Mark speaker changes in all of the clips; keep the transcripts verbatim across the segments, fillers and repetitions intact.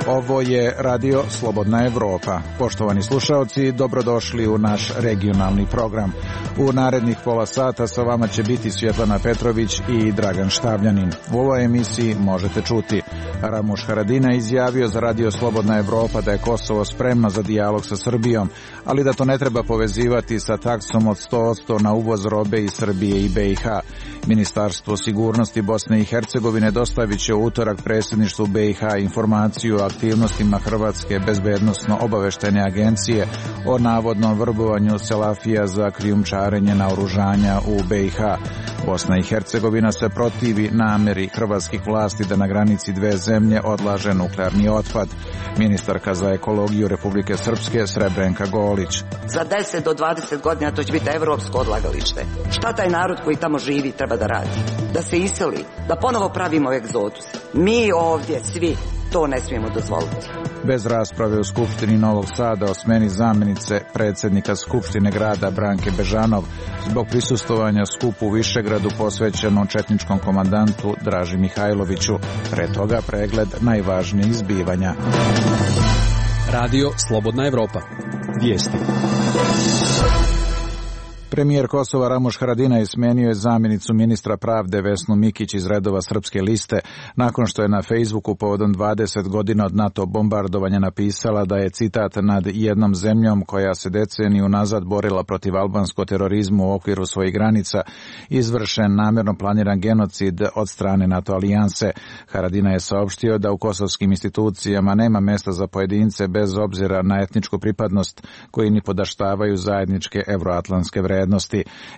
Speaker 1: Ovo je Radio Slobodna Evropa. Poštovani slušaoci, dobrodošli u naš regionalni program. U narednih pola sata sa vama će biti Svjetlana Petrović i Dragan Štavljanin. U ovoj emisiji možete čuti: Ramuš Haradinaj izjavio za Radio Slobodna Evropa da je Kosovo spremno za dijalog sa Srbijom, ali da to ne treba povezivati sa taksom od sto posto na uvoz robe iz Srbije i be i ha. Ministarstvo sigurnosti Bosne i Hercegovine dostavit će u utorak predsjedništvu be i ha informaciju o aktivnostima Hrvatske bezbednosno-obaveštajne agencije o navodnom vrbovanju selafija za krijumčarenje naoružanja u be i ha. Bosna i Hercegovina se protivi namjeri hrvatskih vlasti da na granici dve zemlje odlaže nuklearni otpad. Ministarka za ekologiju Republike Srpske Srebrenka Golić:
Speaker 2: za deset do dvadeset godina to će biti evropsko odlagalište. Šta taj narod koji tamo živi treba da radi? Da se iseli, da ponovo pravimo egzodus. Mi ovdje svi to ne smijemo dozvoliti.
Speaker 1: Bez rasprave u Skupštini Novog Sada o smeni zamjenice predsjednika Skupštine grada Branke Bežanov zbog prisustvovanja skupu u Višegradu posvećenom četničkom komandantu Draži Mihajloviću. Pre toga pregled najvažnijih zbivanja.
Speaker 3: Radio Slobodna Evropa. Vijesti.
Speaker 1: Premijer Kosova Ramuš Haradinaj smenio je zamjenicu ministra pravde Vesnu Mikić iz redova Srpske liste nakon što je na Facebooku povodom dvadeset godina od NATO bombardovanja napisala da je, citat, nad jednom zemljom koja se deceniju nazad borila protiv albanskog terorizmu u okviru svojih granica izvršen namjerno planiran genocid od strane NATO alijanse. Haradinaj je saopštio da u kosovskim institucijama nema mjesta za pojedince bez obzira na etničku pripadnost koji ni podaštavaju zajedničke evroatlantske vrednosti.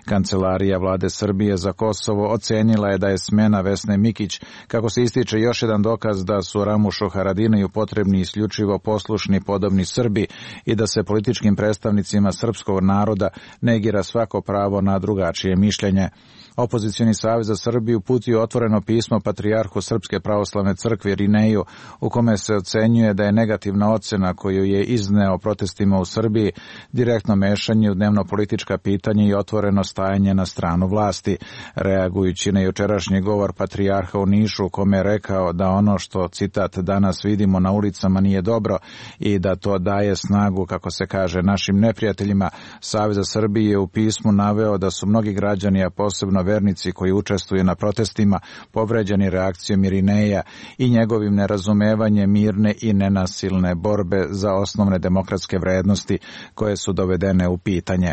Speaker 1: Kancelarija vlade Srbije za Kosovo ocenila je da je smjena Vesne Mikić, kako se ističe, još jedan dokaz da su Ramušu Haradinaju potrebni isključivo poslušni podobni Srbi i da se političkim predstavnicima srpskog naroda negira svako pravo na drugačije mišljenje. Opozicioni savez za Srbiju uputio otvoreno pismo patrijarhu Srpske pravoslavne crkve Irineju u kome se ocenjuje da je negativna ocjena koju je izneo protestima u Srbiji direktno mešanje u dnevno politička pitanja i otvoreno stajanje na stranu vlasti. Reagujući na jučerašnji govor patrijarha u Nišu u kome je rekao da ono što, citat, danas vidimo na ulicama nije dobro i da to daje snagu, kako se kaže, našim neprijateljima, Savez za Srbiju je u pismu naveo da su mnogi građani, a posebno vernici koji učestvuju na protestima, povređeni reakcijom Irineja i njegovim nerazumevanjem mirne i nenasilne borbe za osnovne demokratske vrednosti koje su dovedene u pitanje.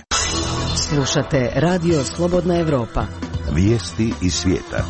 Speaker 4: Slušate Radio Slobodna Evropa.
Speaker 5: Vijesti iz svijeta.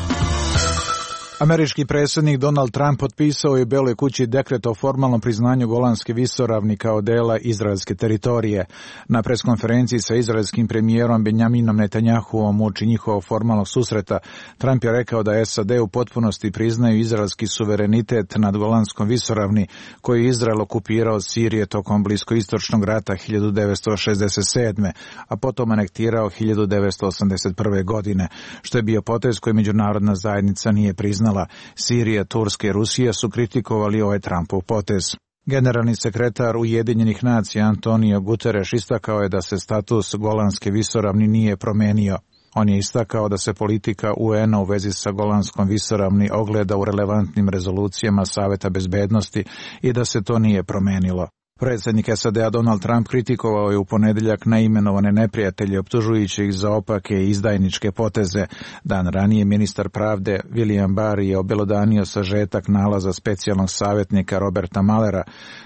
Speaker 1: Američki predsjednik Donald Trump potpisao je u Beloj kući dekret o formalnom priznanju Golanske visoravni kao dela izraelske teritorije. Na preskonferenciji sa izraelskim premijerom Benjaminom Netanjahuom uoči njihovog formalnog susreta, Trump je rekao da S A D u potpunosti priznaju izraelski suverenitet nad Golanskom visoravni koju je Izrael okupirao od Sirije tokom bliskoistočnog rata hiljadu devetsto šezdeset sedme. a potom anektirao hiljadu devetsto osamdeset prve. godine, što je bio potez koji međunarodna zajednica nije priznala. Sirija, Turska i Rusija su kritikovali ovaj Trumpov potez. Generalni sekretar Ujedinjenih nacija Antonio Guterres istakao je da se status Golanske visoravni nije promenio. On je istakao da se politika U N-a u vezi sa Golanskom visoravni ogleda u relevantnim rezolucijama Saveta bezbednosti i da se to nije promenilo. Predsjednik S A D-a Donald Trump kritikovao je u ponedjeljak naimenovane neprijatelje optužujući ih za opake i izdajničke poteze. Dan ranije ministar pravde William Barr je obelodanio sažetak nalaza specijalnog savjetnika Roberta Muellera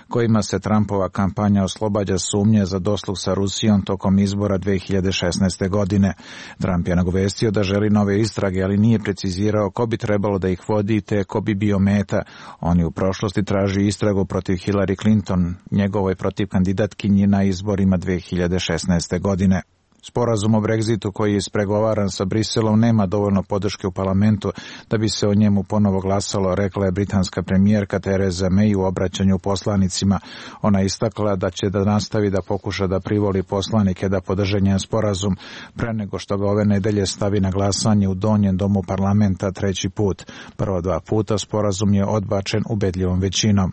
Speaker 1: kojima se Trumpova kampanja oslobađa sumnje za dosluh sa Rusijom tokom izbora dve hiljade šesnaeste. godine. Trump je nagovestio da želi nove istrage, ali nije precizirao ko bi trebalo da ih vodi te ko bi bio meta. On je u prošlosti tražio istragu protiv Hillary Clinton, njegovoj protiv kandidatkinji na izborima dve hiljade šesnaeste. godine. Sporazum o Brexitu koji je ispregovaran sa Briselom nema dovoljno podrške u parlamentu da bi se o njemu ponovo glasalo, rekla je britanska premijerka Theresa May u obraćanju poslanicima. Ona istakla da će da nastavi da pokuša da privoli poslanike da podrže njen sporazum pre nego što ga ove nedelje stavi na glasanje u donjem domu parlamenta treći put. Prvo dva puta sporazum je odbačen ubedljivom većinom.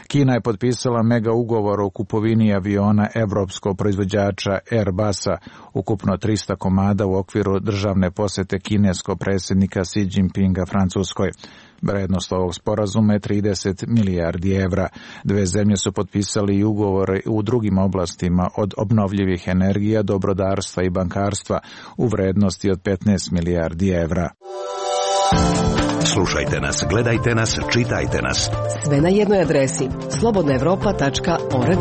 Speaker 1: Kina je potpisala mega ugovor o kupovini aviona evropskog proizvođača Airbusa. ukupno trista komada u okviru državne posete kineskog predsjednika Xi Jinpinga Francuskoj. Vrednost ovog sporazuma je trideset milijardi evra. Dve zemlje su potpisali i ugovore u drugim oblastima od obnovljivih energija do brodarstva i bankarstva u vrednosti od petnaest milijardi evra.
Speaker 5: Slušajte nas, gledajte nas, čitajte nas.
Speaker 4: Sve na jednoj adresi slobodna evropa tačka org.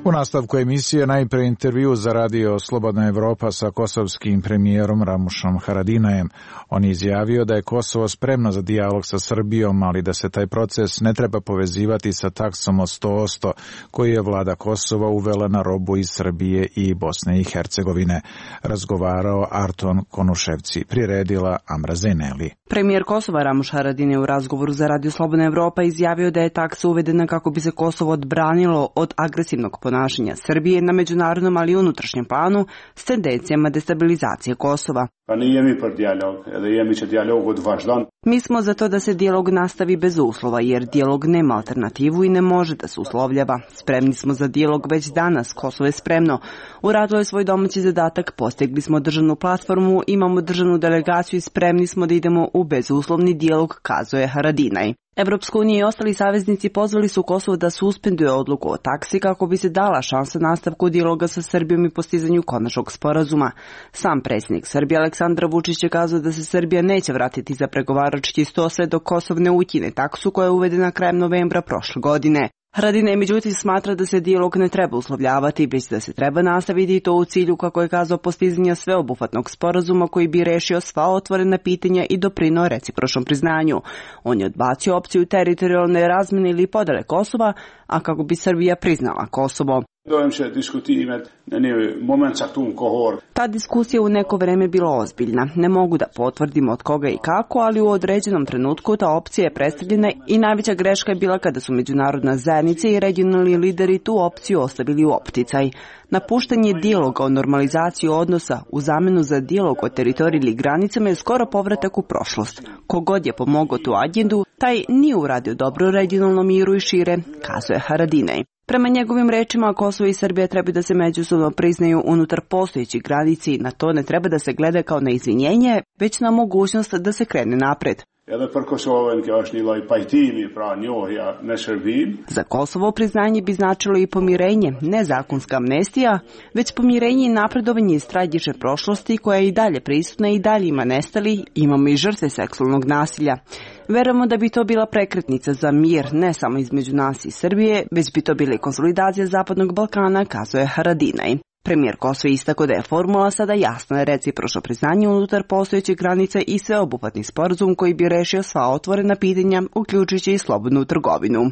Speaker 1: U nastavku emisije najprije intervju za radio Slobodna Evropa sa kosovskim premijerom Ramušom Haradinajem. On je izjavio da je Kosovo spremno za dijalog sa Srbijom, ali da se taj proces ne treba povezivati sa taksom od sto posto koju je vlada Kosova uvela na robu iz Srbije i Bosne i Hercegovine. Razgovarao Arton Konuševci, priredila Amra Zeneli.
Speaker 6: Premijer Kosova Ramuš Haradinaj u razgovoru za radio Slobodna Evropa izjavio da je taksa uvedena kako bi se Kosovo odbranilo od agresivnog ponašanja Srbije na međunarodnom, ali i unutrašnjem planu s tendencijama destabilizacije Kosova. Mi smo za to da se dijalog nastavi bez uslova, jer dijalog nema alternativu i ne može da se uslovljava. Spremni smo za dijalog već danas, Kosovo je spremno. Uradilo je svoj domaći zadatak, postigli smo državnu platformu, imamo državnu delegaciju i spremni smo da idemo u bezuslovni dijalog, kazuje Haradinaj. Evropska unija i ostali saveznici pozvali su Kosovo da suspenduje odluku o taksi kako bi se dala šansa nastavku dijaloga sa Srbijom i postizanju konačnog sporazuma. Sam predsjednik Srbije Aleksandar Vučić je kazao da se Srbija neće vratiti za pregovarački sto sve dok Kosovo ne ukine taksu koja je uvedena krajem novembra prošle godine. Haradinaj međutim smatra da se dijalog ne treba uslovljavati, već da se treba nastaviti i to u cilju, kako je kazao, postizanja sveobuhvatnog sporazuma koji bi rešio sva otvorena pitanja i doprineo recipročnom priznanju. On je odbacio opciju teritorijalne razmjene ili podele Kosova, a kako bi Srbija priznala Kosovo. Ta diskusija u neko vreme bila ozbiljna. Ne mogu da potvrdim od koga i kako, ali u određenom trenutku ta opcija je predstavljena i najveća greška je bila kada su međunarodna zajednica i regionalni lideri tu opciju ostavili u opticaj. Napuštanje dijaloga o normalizaciji odnosa u zamenu za dijalog o teritoriji ili granicama je skoro povratak u prošlost. Kogod je pomogao tu agendu, taj nije uradio dobro regionalnom miru i šire, kazuje Haradinaj. Prema njegovim rečima, Kosovo i Srbija treba da se međusobno priznaju unutar postojećih granici i na to ne treba da se gleda kao na izvinjenje, već na mogućnost da se krene napred. Za Kosovo priznanje bi značilo i pomirenje, ne zakonska amnestija, već pomirenje i napredovanje iz tragične prošlosti koja je i dalje prisutna i dalje ima nestali, imamo i žrtve seksualnog nasilja. Verujemo da bi to bila prekretnica za mir, ne samo između nas i Srbije, već bi to bila i konsolidacija Zapadnog Balkana, kazuje Haradinaj. Premijer Kosova istakao da je formula sada jasna, recipročno priznanje unutar postojećih granica i sveobuhvatni sporazum koji bi rešio sva otvorena pitanja, uključujući i slobodnu trgovinu.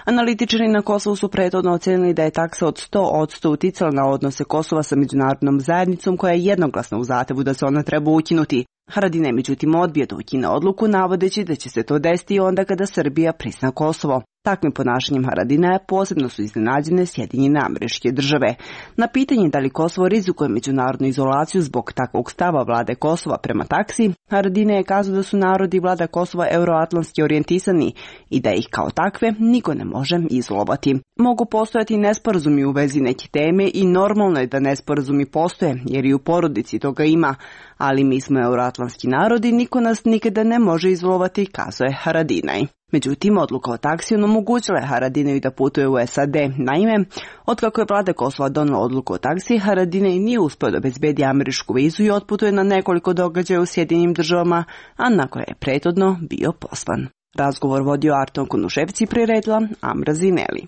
Speaker 6: Analitičari na Kosovu su prethodno ocenili da je taksa od sto posto uticala na odnose Kosova sa međunarodnom zajednicom koja je jednoglasna u zahtevu da se ona treba ukinuti. Haradinaj međutim odbio da ukine odluku, navodeći da će se to desiti onda kada Srbija prizna Kosovo. Takvim ponašanjem Haradinaja posebno su iznenađene Sjedinjene Američke Države. Na pitanje da li Kosovo rizikuje međunarodnu izolaciju zbog takvog stava vlade Kosova prema taksi, Haradinaj je kazao da su narodi vlada Kosova euroatlantski orijentisani i da ih kao takve niko ne može izolovati. Mogu postojati nesporazumi u vezi neke teme i normalno je da nesporazumi postoje, jer i u porodici toga ima, ali mi smo euroatlantski narodi, niko nas nikada ne može izolovati, kazuje Haradinaj. Međutim, odluka o taksi omogućila je Haradinaju da putuje u S A D. Naime, otkako je vlada Kosova donela odluku o taksi, Haradinaj nije uspio da obezbedi američku vizu i otputuje na nekoliko događaja u Sjedinjenim Državama, a na koje je prethodno bio pozvan. Razgovor vodio Arton Konuševci, priredila Amra Zeneli.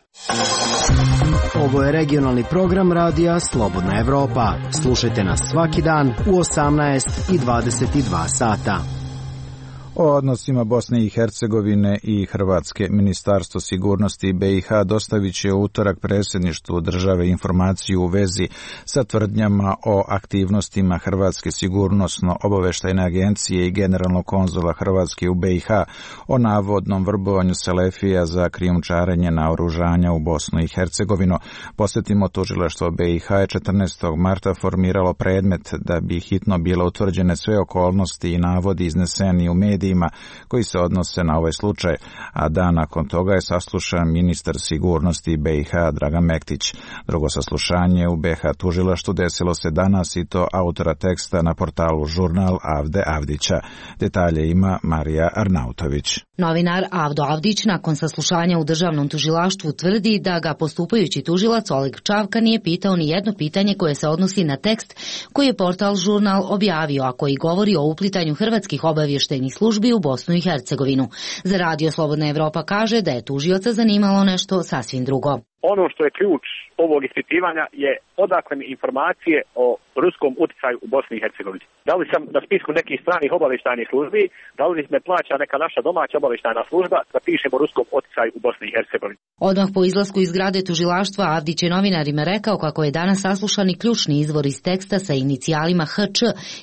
Speaker 7: Ovo je regionalni program radija Slobodna Evropa. Slušajte nas svaki dan u osamnaest i dvadeset dva sata.
Speaker 1: O odnosima Bosne i Hercegovine i Hrvatske Ministarstvo sigurnosti B i H dostavit će u utorak predsjedništvu države informaciju u vezi sa tvrdnjama o aktivnostima Hrvatske sigurnosno-obaveštajne agencije i generalnog konzula Hrvatske u B i H o navodnom vrbovanju selefija za krijumčarenje naoružanja u Bosnu i Hercegovinu. Posjetimo, tužilaštvo B i H je četrnaestog marta formiralo predmet da bi hitno bile utvrđene sve okolnosti i navodi izneseni u medijima dokumentima koji se odnose na ovaj slučaj, a dan nakon toga je saslušan ministar sigurnosti B i H Dragan Mektić. Drugo saslušanje u B i H tužilaštvu desilo se danas i to autora teksta na portalu Žurnal Avde Avdića. Detalje ima Marija Arnautović.
Speaker 8: Novinar Avdo Avdić nakon saslušanja u državnom tužilaštvu tvrdi da ga postupajući tužilac Oleg Čavka nije pitao ni jedno pitanje koje se odnosi na tekst koji je portal Žurnal objavio, a koji govori o uplitanju hrvatskih obavještajnih službi u Bosnu i Hercegovinu. Za Radio Slobodna Evropa kaže da je tužioca zanimalo nešto sasvim drugo.
Speaker 9: Ono što je ključ ovog ispitivanja je odakle mi informacije o ruskom utjecaju u Bosni i Hercegovini. Da li sam na spisku nekih stranih obavještajnih službi, da li me plaća neka naša domaća obavještajna služba da pišemo o ruskom utjecaju u Bosni i Hercegovini.
Speaker 8: Odmah po izlasku iz zgrade tužilaštva Avdić je novinarima rekao kako je danas saslušani ključni izvor iz teksta sa inicijalima H Č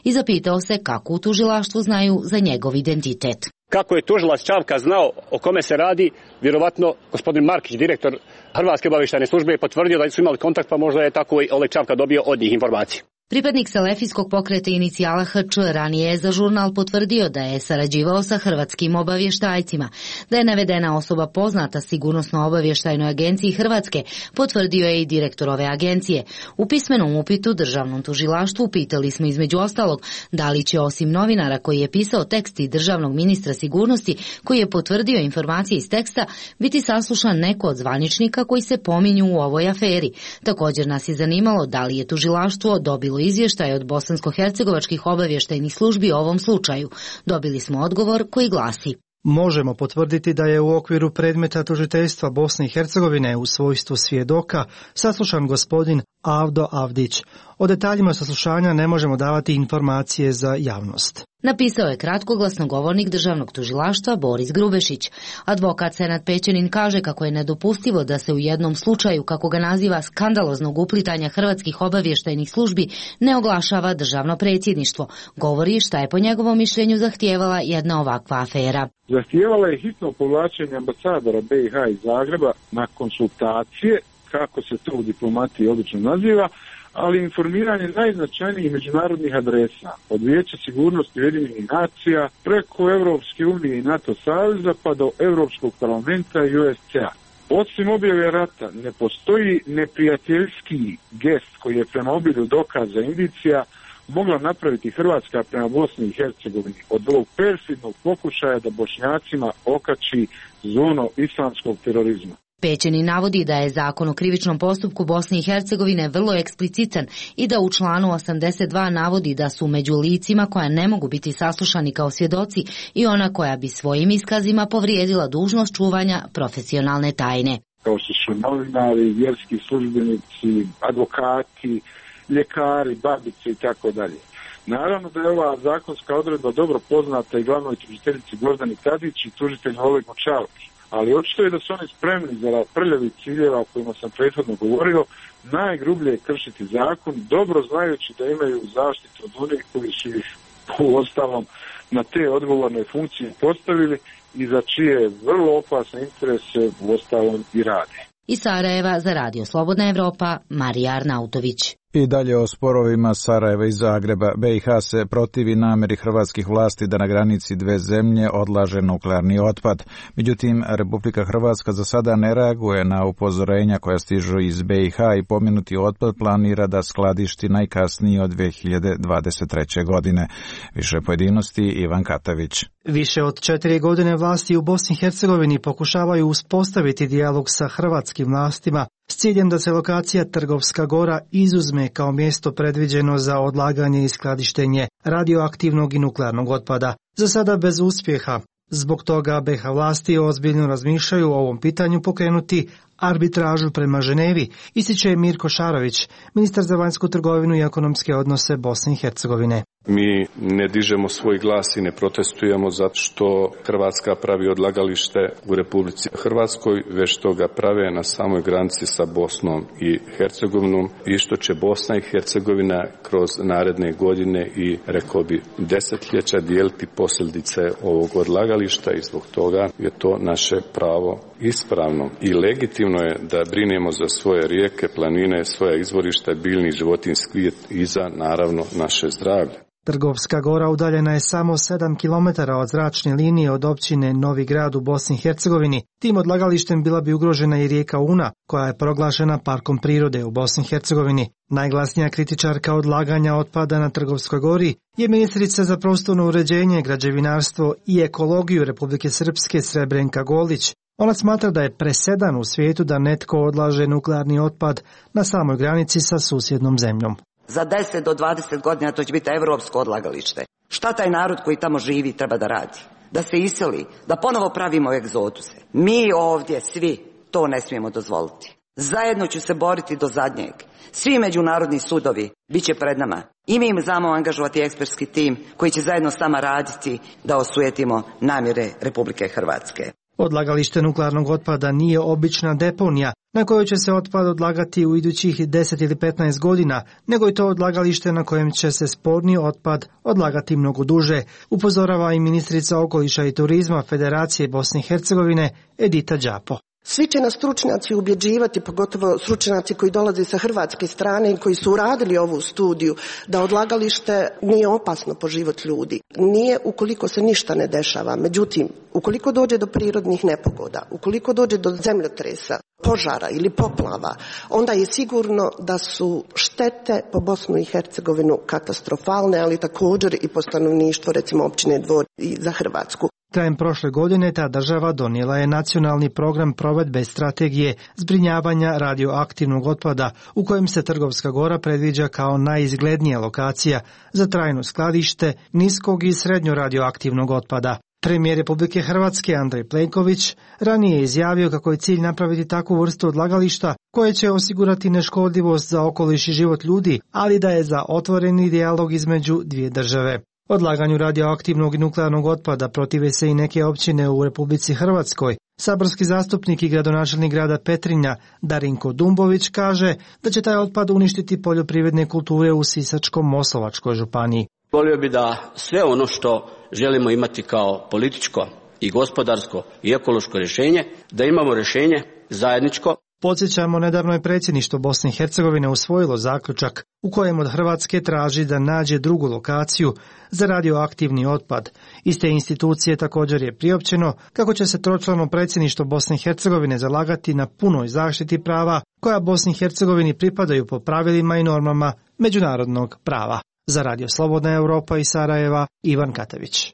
Speaker 8: i zapitao se kako u tužilaštvu znaju za njegov identitet.
Speaker 10: Kako je tužilac Čavka znao o kome se radi, vjerovatno gospodin Markić, direktor Hrvatske obavještajne službe, je potvrdio da su imali kontakt, pa možda je tako i Oleg Čavka dobio od njih informacije.
Speaker 8: Pripadnik Selefijskog pokreta inicijala H Č ranije je za Žurnal potvrdio da je sarađivao sa hrvatskim obavještajcima. Da je navedena osoba poznata Sigurnosno-obavještajnoj agenciji Hrvatske, potvrdio je i direktor ove agencije. U pismenom upitu državnom tužilaštvu pitali smo između ostalog da li će osim novinara koji je pisao tekst i državnog ministra sigurnosti koji je potvrdio informacije iz teksta biti saslušan neko od zvaničnika koji se pominju u ovoj aferi. Također nas je zanimalo da li je tužilaštvo dobilo izvještaj od bosansko-hercegovačkih obavještajnih službi o ovom slučaju. Dobili smo odgovor koji glasi:
Speaker 11: Možemo potvrditi da je u okviru predmeta tužiteljstva Bosne i Hercegovine u svojstvu svjedoka saslušan gospodin Avdo Avdić. O detaljima saslušanja ne možemo davati informacije za javnost.
Speaker 8: Napisao je kratkoglasnogovornik državnog tužilaštva Boris Grubešić. Advokat Senad Pećanin kaže kako je nedopustivo da se u jednom slučaju, kako ga naziva, skandaloznog uplitanja hrvatskih obavještajnih službi ne oglašava državno predsjedništvo. Govori šta je po njegovom mišljenju zahtijevala jedna ovakva afera.
Speaker 12: Zahtijevala je hitno povlačenje ambasadora B i H iz Zagreba na konsultacije, kako se to u diplomatiji obično naziva, ali informiranje najznačajnijih međunarodnih adresa, od Vijeća sigurnosti Ujedinjenih nacija preko Europske unije i NATO saveza pa do Europskog parlamenta i U S C A. Osim objave rata ne postoji neprijateljski gest koji je prema obilju dokaza indicija mogla napraviti Hrvatska prema Bosni i Hercegovini od ovog perfidnog pokušaja da Bošnjacima okači zonu islamskog terorizma.
Speaker 8: Pećeni navodi da je Zakon o krivičnom postupku Bosne i Hercegovine vrlo eksplicitan i da u članu osamdeset dva navodi da su među licima koja ne mogu biti saslušani kao svjedoci i ona koja bi svojim iskazima povrijedila dužnost čuvanja profesionalne tajne.
Speaker 12: Kao što su novinari, vjerski službenici, advokati, ljekari, babice i tako dalje. Naravno da je ova zakonska odredba dobro poznata i glavnoj tužiteljici Gordani Tadić i tužitelju Olegu Čavki. Ali očito je da su oni spremni za prljavi ciljeva o kojima sam prethodno govorio, najgrublje je kršiti zakon, dobro znajući da imaju zaštitu od onih koji su ih u ostalom na te odgovorne funkcije postavili i za čije vrlo opasne interese u ostalom i rade.
Speaker 8: Iz Sarajeva za Radio Slobodna Evropa, Marija Arnautović.
Speaker 1: I dalje o sporovima Sarajeva i Zagreba. B i H se protivi namjeri hrvatskih vlasti da na granici dve zemlje odlaže nuklearni otpad. Međutim, Republika Hrvatska za sada ne reaguje na upozorenja koja stižu iz B i H i pomenuti otpad planira da skladišti najkasnije od dve hiljade dvadeset treće. godine. Više pojedinosti Ivan Katavić.
Speaker 11: Više od četiri godine vlasti u Bosni i Hercegovini pokušavaju uspostaviti dijalog sa hrvatskim vlastima s ciljem da se lokacija Trgovska Gora izuzme kao mjesto predviđeno za odlaganje i skladištenje radioaktivnog i nuklearnog otpada. Za sada bez uspjeha. Zbog toga B i H vlasti ozbiljno razmišljaju o ovom pitanju pokrenuti arbitražu prema Ženevi, ističe Mirko Šarović, ministar za vanjsku trgovinu i ekonomske odnose Bosne i Hercegovine.
Speaker 13: Mi ne dižemo svoj glas i ne protestujemo zato što Hrvatska pravi odlagalište u Republici Hrvatskoj, već što ga prave na samoj granici sa Bosnom i Hercegovinom i što će Bosna i Hercegovina kroz naredne godine i, rekao bi, desetljeća dijeliti posljedice ovog odlagališta i zbog toga je to naše pravo ispravno i legitimno je da brinemo za svoje rijeke, planine, svoja izvorišta, biljni i životinjski svijet i za, naravno, naše zdravlje.
Speaker 11: Trgovska Gora udaljena je samo sedam kilometara od zračne linije od općine Novi Grad u Bosni i Hercegovini. Tim odlagalištem bila bi ugrožena i rijeka Una, koja je proglašena parkom prirode u Bosni i Hercegovini. Najglasnija kritičarka odlaganja otpada na Trgovskoj Gori je ministrica za prostorno uređenje, građevinarstvo i ekologiju Republike Srpske Srebrenka Golić. Ona smatra da je presedan u svijetu da netko odlaže nuklearni otpad na samoj granici sa susjednom zemljom.
Speaker 2: Za deset do dvadeset godina to će biti evropsko odlagalište. Šta taj narod koji tamo živi treba da radi? Da se iseli, da ponovo pravimo egzoduse. Mi ovdje svi to ne smijemo dozvoliti. Zajedno ću se boriti do zadnjeg. Svi međunarodni sudovi bit će pred nama. I mi im znamo angažovati ekspertski tim koji će zajedno s nama raditi da osujetimo namjere Republike Hrvatske.
Speaker 11: Odlagalište nuklearnog otpada nije obična deponija na kojoj će se otpad odlagati u idućih deset ili petnaest godina, nego je to odlagalište na kojem će se sporni otpad odlagati mnogo duže, upozorava i ministrica okoliša i turizma Federacije Bosne i Hercegovine Edita Đapo.
Speaker 14: Svi će nas stručnjaci ubjeđivati, pogotovo stručnjaci koji dolaze sa hrvatske strane i koji su uradili ovu studiju, da odlagalište nije opasno po život ljudi. Nije ukoliko se ništa ne dešava. Međutim, ukoliko dođe do prirodnih nepogoda, ukoliko dođe do zemljotresa, požara ili poplava, onda je sigurno da su štete po Bosnu i Hercegovinu katastrofalne, ali također i po stanovništvo, recimo općine Dvor i za Hrvatsku.
Speaker 11: Krajem prošle godine ta država donijela je nacionalni program provedbe strategije zbrinjavanja radioaktivnog otpada, u kojem se Trgovska Gora predviđa kao najizglednija lokacija za trajno skladište niskog i srednjo radioaktivnog otpada. Premijer Republike Hrvatske Andrej Plenković ranije je izjavio kako je cilj napraviti takvu vrstu odlagališta koje će osigurati neškodljivost za okoliš i život ljudi, ali da je za otvoreni dijalog između dvije države. Odlaganju radioaktivnog i nuklearnog otpada protive se i neke općine u Republici Hrvatskoj. Saborski zastupnik i gradonačelnik grada Petrinja Darinko Dumbović kaže da će taj otpad uništiti poljoprivredne kulture u Sisačko-moslavačkoj županiji.
Speaker 15: Volio bi da sve ono što želimo imati kao političko i gospodarsko i ekološko rješenje, da imamo rješenje zajedničko.
Speaker 11: Podsjećamo, nedavno je predsjedništvo Bosne i Hercegovine usvojilo zaključak u kojem od Hrvatske traži da nađe drugu lokaciju za radioaktivni otpad. Iz te institucije također je priopćeno kako će se tročlano predsjedništvo Bosne i Hercegovine zalagati na punoj zaštiti prava koja Bosni i Hercegovini pripadaju po pravilima i normama međunarodnog prava. Za Radio Slobodna Evropa iz Sarajeva, Ivan Katavić.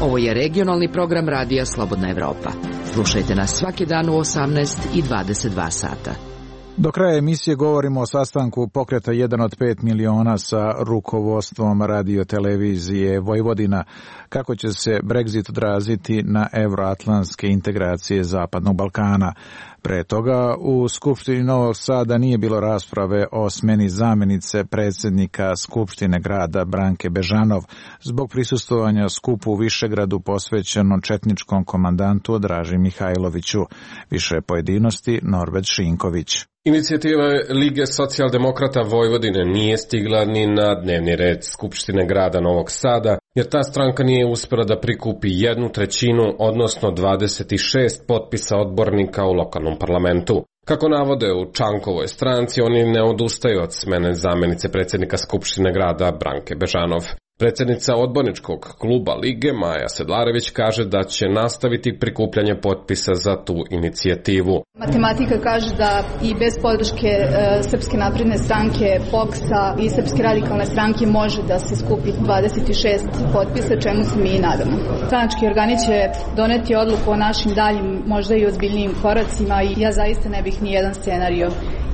Speaker 4: Ovo je regionalni program Radija Slobodna Evropa. Slušajte nas svaki dan u osamnaest i dvadeset dva sata.
Speaker 1: Do kraja emisije govorimo o sastanku pokreta jedan od pet miliona sa rukovodstvom radiotelevizije Vojvodina. Kako će se Brexit odraziti na euroatlantske integracije Zapadnog Balkana? Pre toga u Skupštini Novog Sada nije bilo rasprave o smeni zamjenice predsjednika Skupštine grada Branke Bežanov zbog prisustvovanja skupu u Višegradu posvećeno četničkom komandantu Draži Mihajloviću. Više pojedinosti Norbert Šinković.
Speaker 16: Inicijativa Lige socijaldemokrata Vojvodine nije stigla ni na dnevni red Skupštine grada Novog Sada, jer ta stranka nije uspjela da prikupi jednu trećinu, odnosno dvadeset šest potpisa odbornika u lokalnom parlamentu. Kako navode u Čankovoj stranci, oni ne odustaju od smene zamjenice predsjednika Skupštine grada Branke Bežanov. Predsjednica odborničkog kluba Lige Maja Sedlarević kaže da će nastaviti prikupljanje potpisa za tu inicijativu.
Speaker 17: Matematika kaže da i bez podrške e, Srpske napredne stranke, P O K S-a i Srpske radikalne stranke može da se skupi dvadeset šest potpisa, čemu se mi i nadamo. Stranački organi će doneti odluku o našim daljim, možda i ozbiljnijim koracima i ja zaista ne bih ni jedan scenario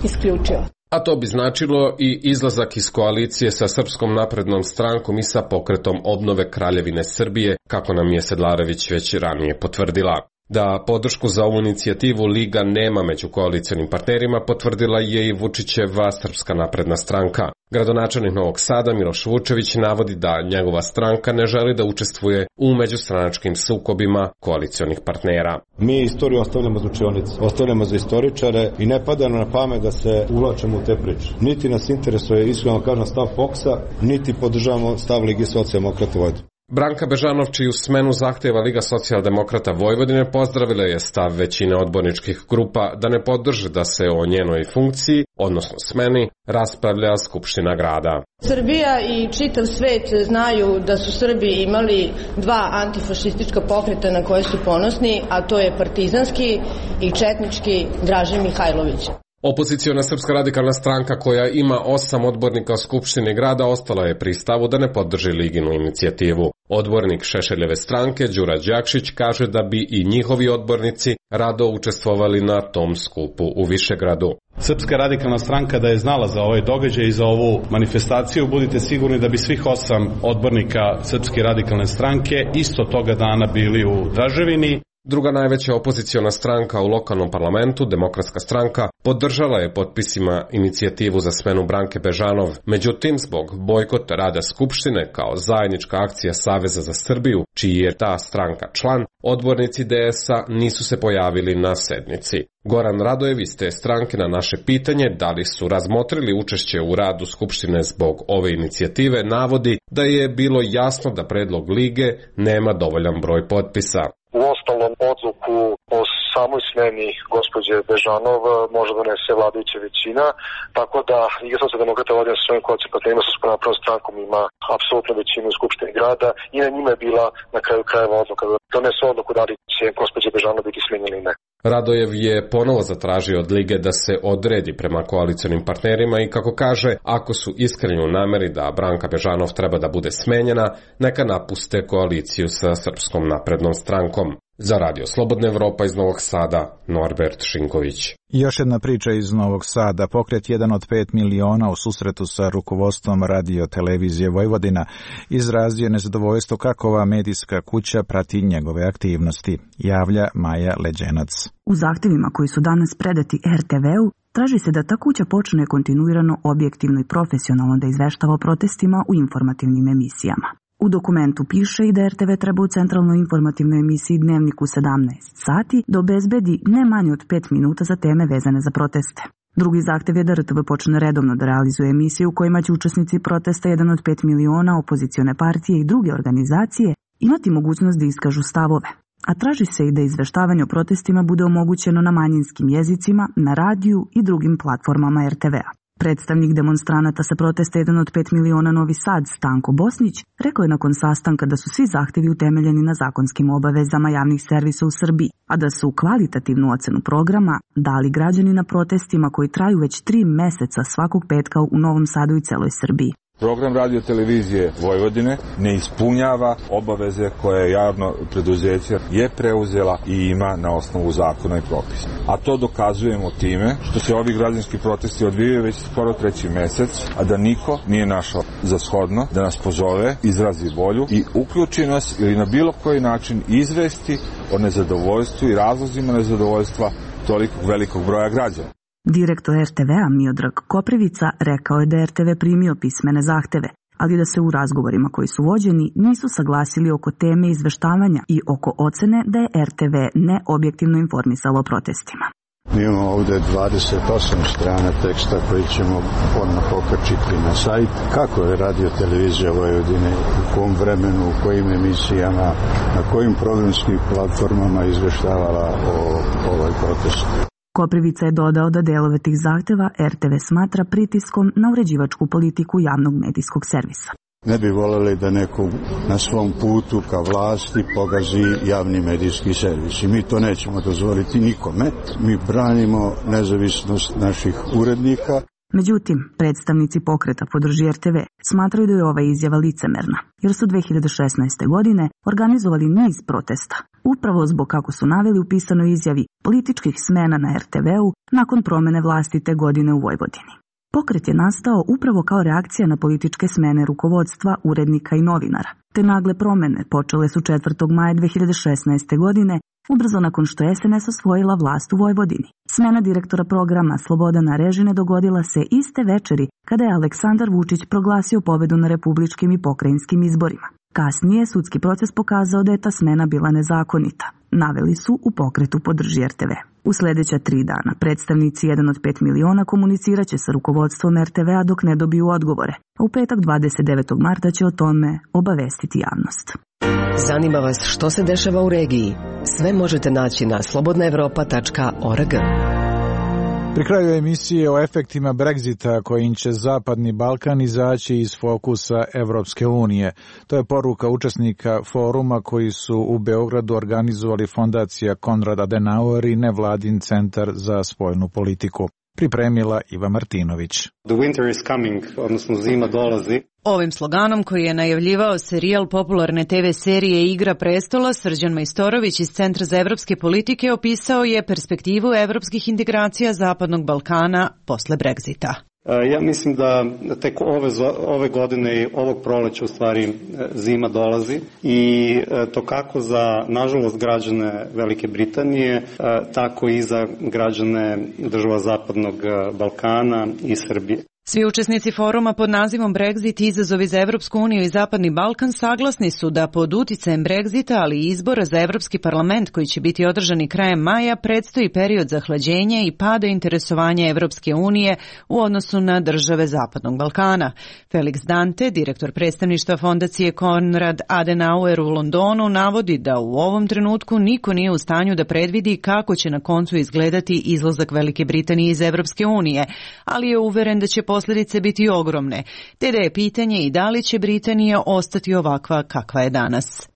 Speaker 17: isključila.
Speaker 16: A to bi značilo i izlazak iz koalicije sa Srpskom naprednom strankom i sa pokretom obnove Kraljevine Srbije, kako nam je Sedlarević već ranije potvrdila. Da podršku za ovu inicijativu Liga nema među koalicionim partnerima potvrdila je i Vučićeva Srpska napredna stranka. Gradonačelnik Novog Sada Miloš Vučević navodi da njegova stranka ne želi da učestvuje u međustranačkim sukobima koalicionih partnera.
Speaker 18: Mi istoriju ostavljamo za učionice, ostavljamo za istoričare i ne pada na pamet da se uvlačimo u te priče. Niti nas interesuje, iskreno kažem, stav P O K S-a, niti podržavamo stav Lige socijaldemokrata Vojvodine.
Speaker 16: Branka Bežanov, čiju smenu zahtjeva Liga socijaldemokrata Vojvodine, pozdravila je stav većine odborničkih grupa da ne podrže da se o njenoj funkciji, odnosno smeni, raspravlja Skupština grada.
Speaker 19: Srbija i čitav svet znaju da su Srbi imali dva antifašistička pokreta na koje su ponosni, a to je partizanski i četnički Draže Mihajlović.
Speaker 16: Opoziciona Srpska radikalna stranka, koja ima osam odbornika u Skupštini grada, ostala je pri stavu da ne podrži Liginu inicijativu. Odbornik Šešeljeve stranke, Đura Đakšić, kaže da bi i njihovi odbornici rado učestvovali na tom skupu u Višegradu.
Speaker 20: Srpska radikalna stranka da je znala za ovaj događaj i za ovu manifestaciju, budite sigurni da bi svih osam odbornika Srpske radikalne stranke isto toga dana bili u Draževini.
Speaker 16: Druga najveća opoziciona stranka u lokalnom parlamentu, Demokratska stranka, podržala je potpisima inicijativu za smenu Branke Bežanov. Međutim, zbog bojkota rada Skupštine kao zajednička akcija Saveza za Srbiju, čiji je ta stranka član, odbornici D S-a nisu se pojavili na sednici. Goran Radojev iz te stranke na naše pitanje da li su razmotrili učešće u radu Skupštine zbog ove inicijative navodi da je bilo jasno da predlog Lige nema dovoljan broj potpisa.
Speaker 21: U ostalom, odluku o samoj smeni gospođe Bežanov može donese vladajuća većina, tako da Liga socijaldemokrata Vojvodine sa svojim koalicijskim sa Srpskom naprednom strankom ima apsolutnu većinu u Skupštini grada i na njima je bila na kraju krajeva odluka da donese odluku da li će gospođa Bežanov biti smenjena ili ne.
Speaker 16: Radojev je ponovo zatražio od Lige da se odredi prema koalicionim partnerima i, kako kaže, ako su iskreni u nameri da Branka Bežanov treba da bude smenjena, neka napuste koaliciju sa Srpskom naprednom strankom. Za Radio Slobodna Evropa iz Novog Sada, Norbert Šinković.
Speaker 1: Još jedna priča iz Novog Sada. Pokret jedan od pet miliona u susretu sa rukovodstvom Radio Televizije Vojvodina izrazio je nezadovoljstvo kako ova medijska kuća prati njegove aktivnosti, javlja Maja Leđenac.
Speaker 22: U zahtjevima koji su danas predati er te ve-u traži se da ta kuća počne kontinuirano, objektivno i profesionalno da izveštava o protestima u informativnim emisijama. U dokumentu piše i da er te ve treba u centralnoj informativnoj emisiji Dnevnik u sedamnaest sati da obezbedi ne manje od pet minuta za teme vezane za proteste. Drugi zahtev je da er te ve počne redovno da realizuje emisije u kojima će učesnici protesta jedan od pet miliona, opozicione partije i druge organizacije imati mogućnost da iskažu stavove. A traži se i da izveštavanje o protestima bude omogućeno na manjinskim jezicima, na radiju i drugim platformama er te ve-a. Predstavnik demonstranata sa protesta jedan od pet miliona Novi Sad, Stanko Bosnić, rekao je nakon sastanka da su svi zahtevi utemeljeni na zakonskim obavezama javnih servisa u Srbiji, a da su kvalitativnu ocenu programa dali građani na protestima koji traju već tri meseca svakog petka u Novom Sadu i celoj Srbiji.
Speaker 18: Program Radio Televizije Vojvodine ne ispunjava obaveze koje javno preduzeće je preuzela i ima na osnovu zakona i propisa. A to dokazujemo time što se ovi građanski protesti odvijaju već skoro treći mesec, a da niko nije našao za shodno da nas pozove, izrazi volju i uključi nas ili na bilo koji način izvesti o nezadovoljstvu i razlozima nezadovoljstva tolikog velikog broja građana.
Speaker 22: Direktor er te ve-a Miodrag Koprivica rekao je da je er te ve primio pismene zahteve, ali da se u razgovorima koji su vođeni nisu saglasili oko teme izveštavanja i oko ocene da je er te ve neobjektivno informisalo o protestima.
Speaker 23: Mi imamo ovdje dvadeset osam strana teksta koji ćemo odmah pokačiti na sajt. Kako je Radio Televizija Vojvodine, u kom vremenu, u kojim emisijama, na kojim programskim platformama izveštavala o ovoj protestu.
Speaker 22: Koprivica je dodao da delove tih zahteva er te ve smatra pritiskom na uređivačku politiku javnog medijskog servisa.
Speaker 23: Ne bi voljeli da neko na svom putu ka vlasti pogazi javni medijski servis. I mi to nećemo dozvoliti nikome. Mi branimo nezavisnost naših urednika.
Speaker 22: Međutim, predstavnici pokreta Podrži er te ve smatraju da je ova izjava licemerna, jer su dve hiljade šesnaeste. godine organizovali niz protesta, upravo zbog, kako su naveli u pisanoj izjavi, političkih smena na er te ve-u nakon promene vlasti te godine u Vojvodini. Pokret je nastao upravo kao reakcija na političke smene rukovodstva, urednika i novinara. Te nagle promene počele su četvrtog maja dve hiljade šesnaeste. godine, ubrzo nakon što je es en es osvojila vlast u Vojvodini. Smena direktora programa Slobodana Režine dogodila se iste večeri kada je Aleksandar Vučić proglasio pobedu na republičkim i pokrajinskim izborima. Kasnije sudski proces pokazao da je ta smena bila nezakonita. Naveli su u pokretu Podrži er te ve. U sljedeća tri dana predstavnici jedan od pet miliona komunicirat će sa rukovodstvom er te vea dok ne dobiju odgovore. A u petak dvadeset devetog marta će o tome obavestiti javnost.
Speaker 3: Zanima vas što se dešava u regiji? Sve možete naći na slobodna evropa tačka org.
Speaker 1: Pri kraju emisije o efektima Brexita kojim će Zapadni Balkan izaći iz fokusa Evropske unije. To je poruka učesnika foruma koji su u Beogradu organizovali fondacija Konrad Adenauer i nevladin centar za spoljnu politiku. Pripremila Iva Martinović.
Speaker 5: The winter is coming, odnosno zima dolazi.
Speaker 6: Ovim sloganom koji je najavljivao serijal popularne te ve serije Igra prestola, Srđan Majstorović iz Centra za evropske politike opisao je perspektivu evropskih integracija Zapadnog Balkana posle Brexita.
Speaker 5: Ja mislim da tek ove, ove godine i ovog proleća u stvari zima dolazi i to kako za, nažalost, građane Velike Britanije, tako i za građane država Zapadnog Balkana i Srbije.
Speaker 6: Svi učesnici foruma pod nazivom Brexit izazovi za Evropsku uniju i Zapadni Balkan saglasni su da pod uticajem Brexita, ali i izbora za Evropski parlament koji će biti održani krajem maja, predstoji period zahlađenja i pada interesovanja Evropske unije u odnosu na države Zapadnog Balkana. Felix Dante, direktor predstavništva fondacije Konrad Adenauer u Londonu, navodi da u ovom trenutku niko nije u stanju da predvidi kako će na koncu izgledati izlazak Velike Britanije iz Evropske unije, ali je uveren da će posljedice biti ogromne, te da je pitanje i da li će Britanija ostati ovakva kakva je danas.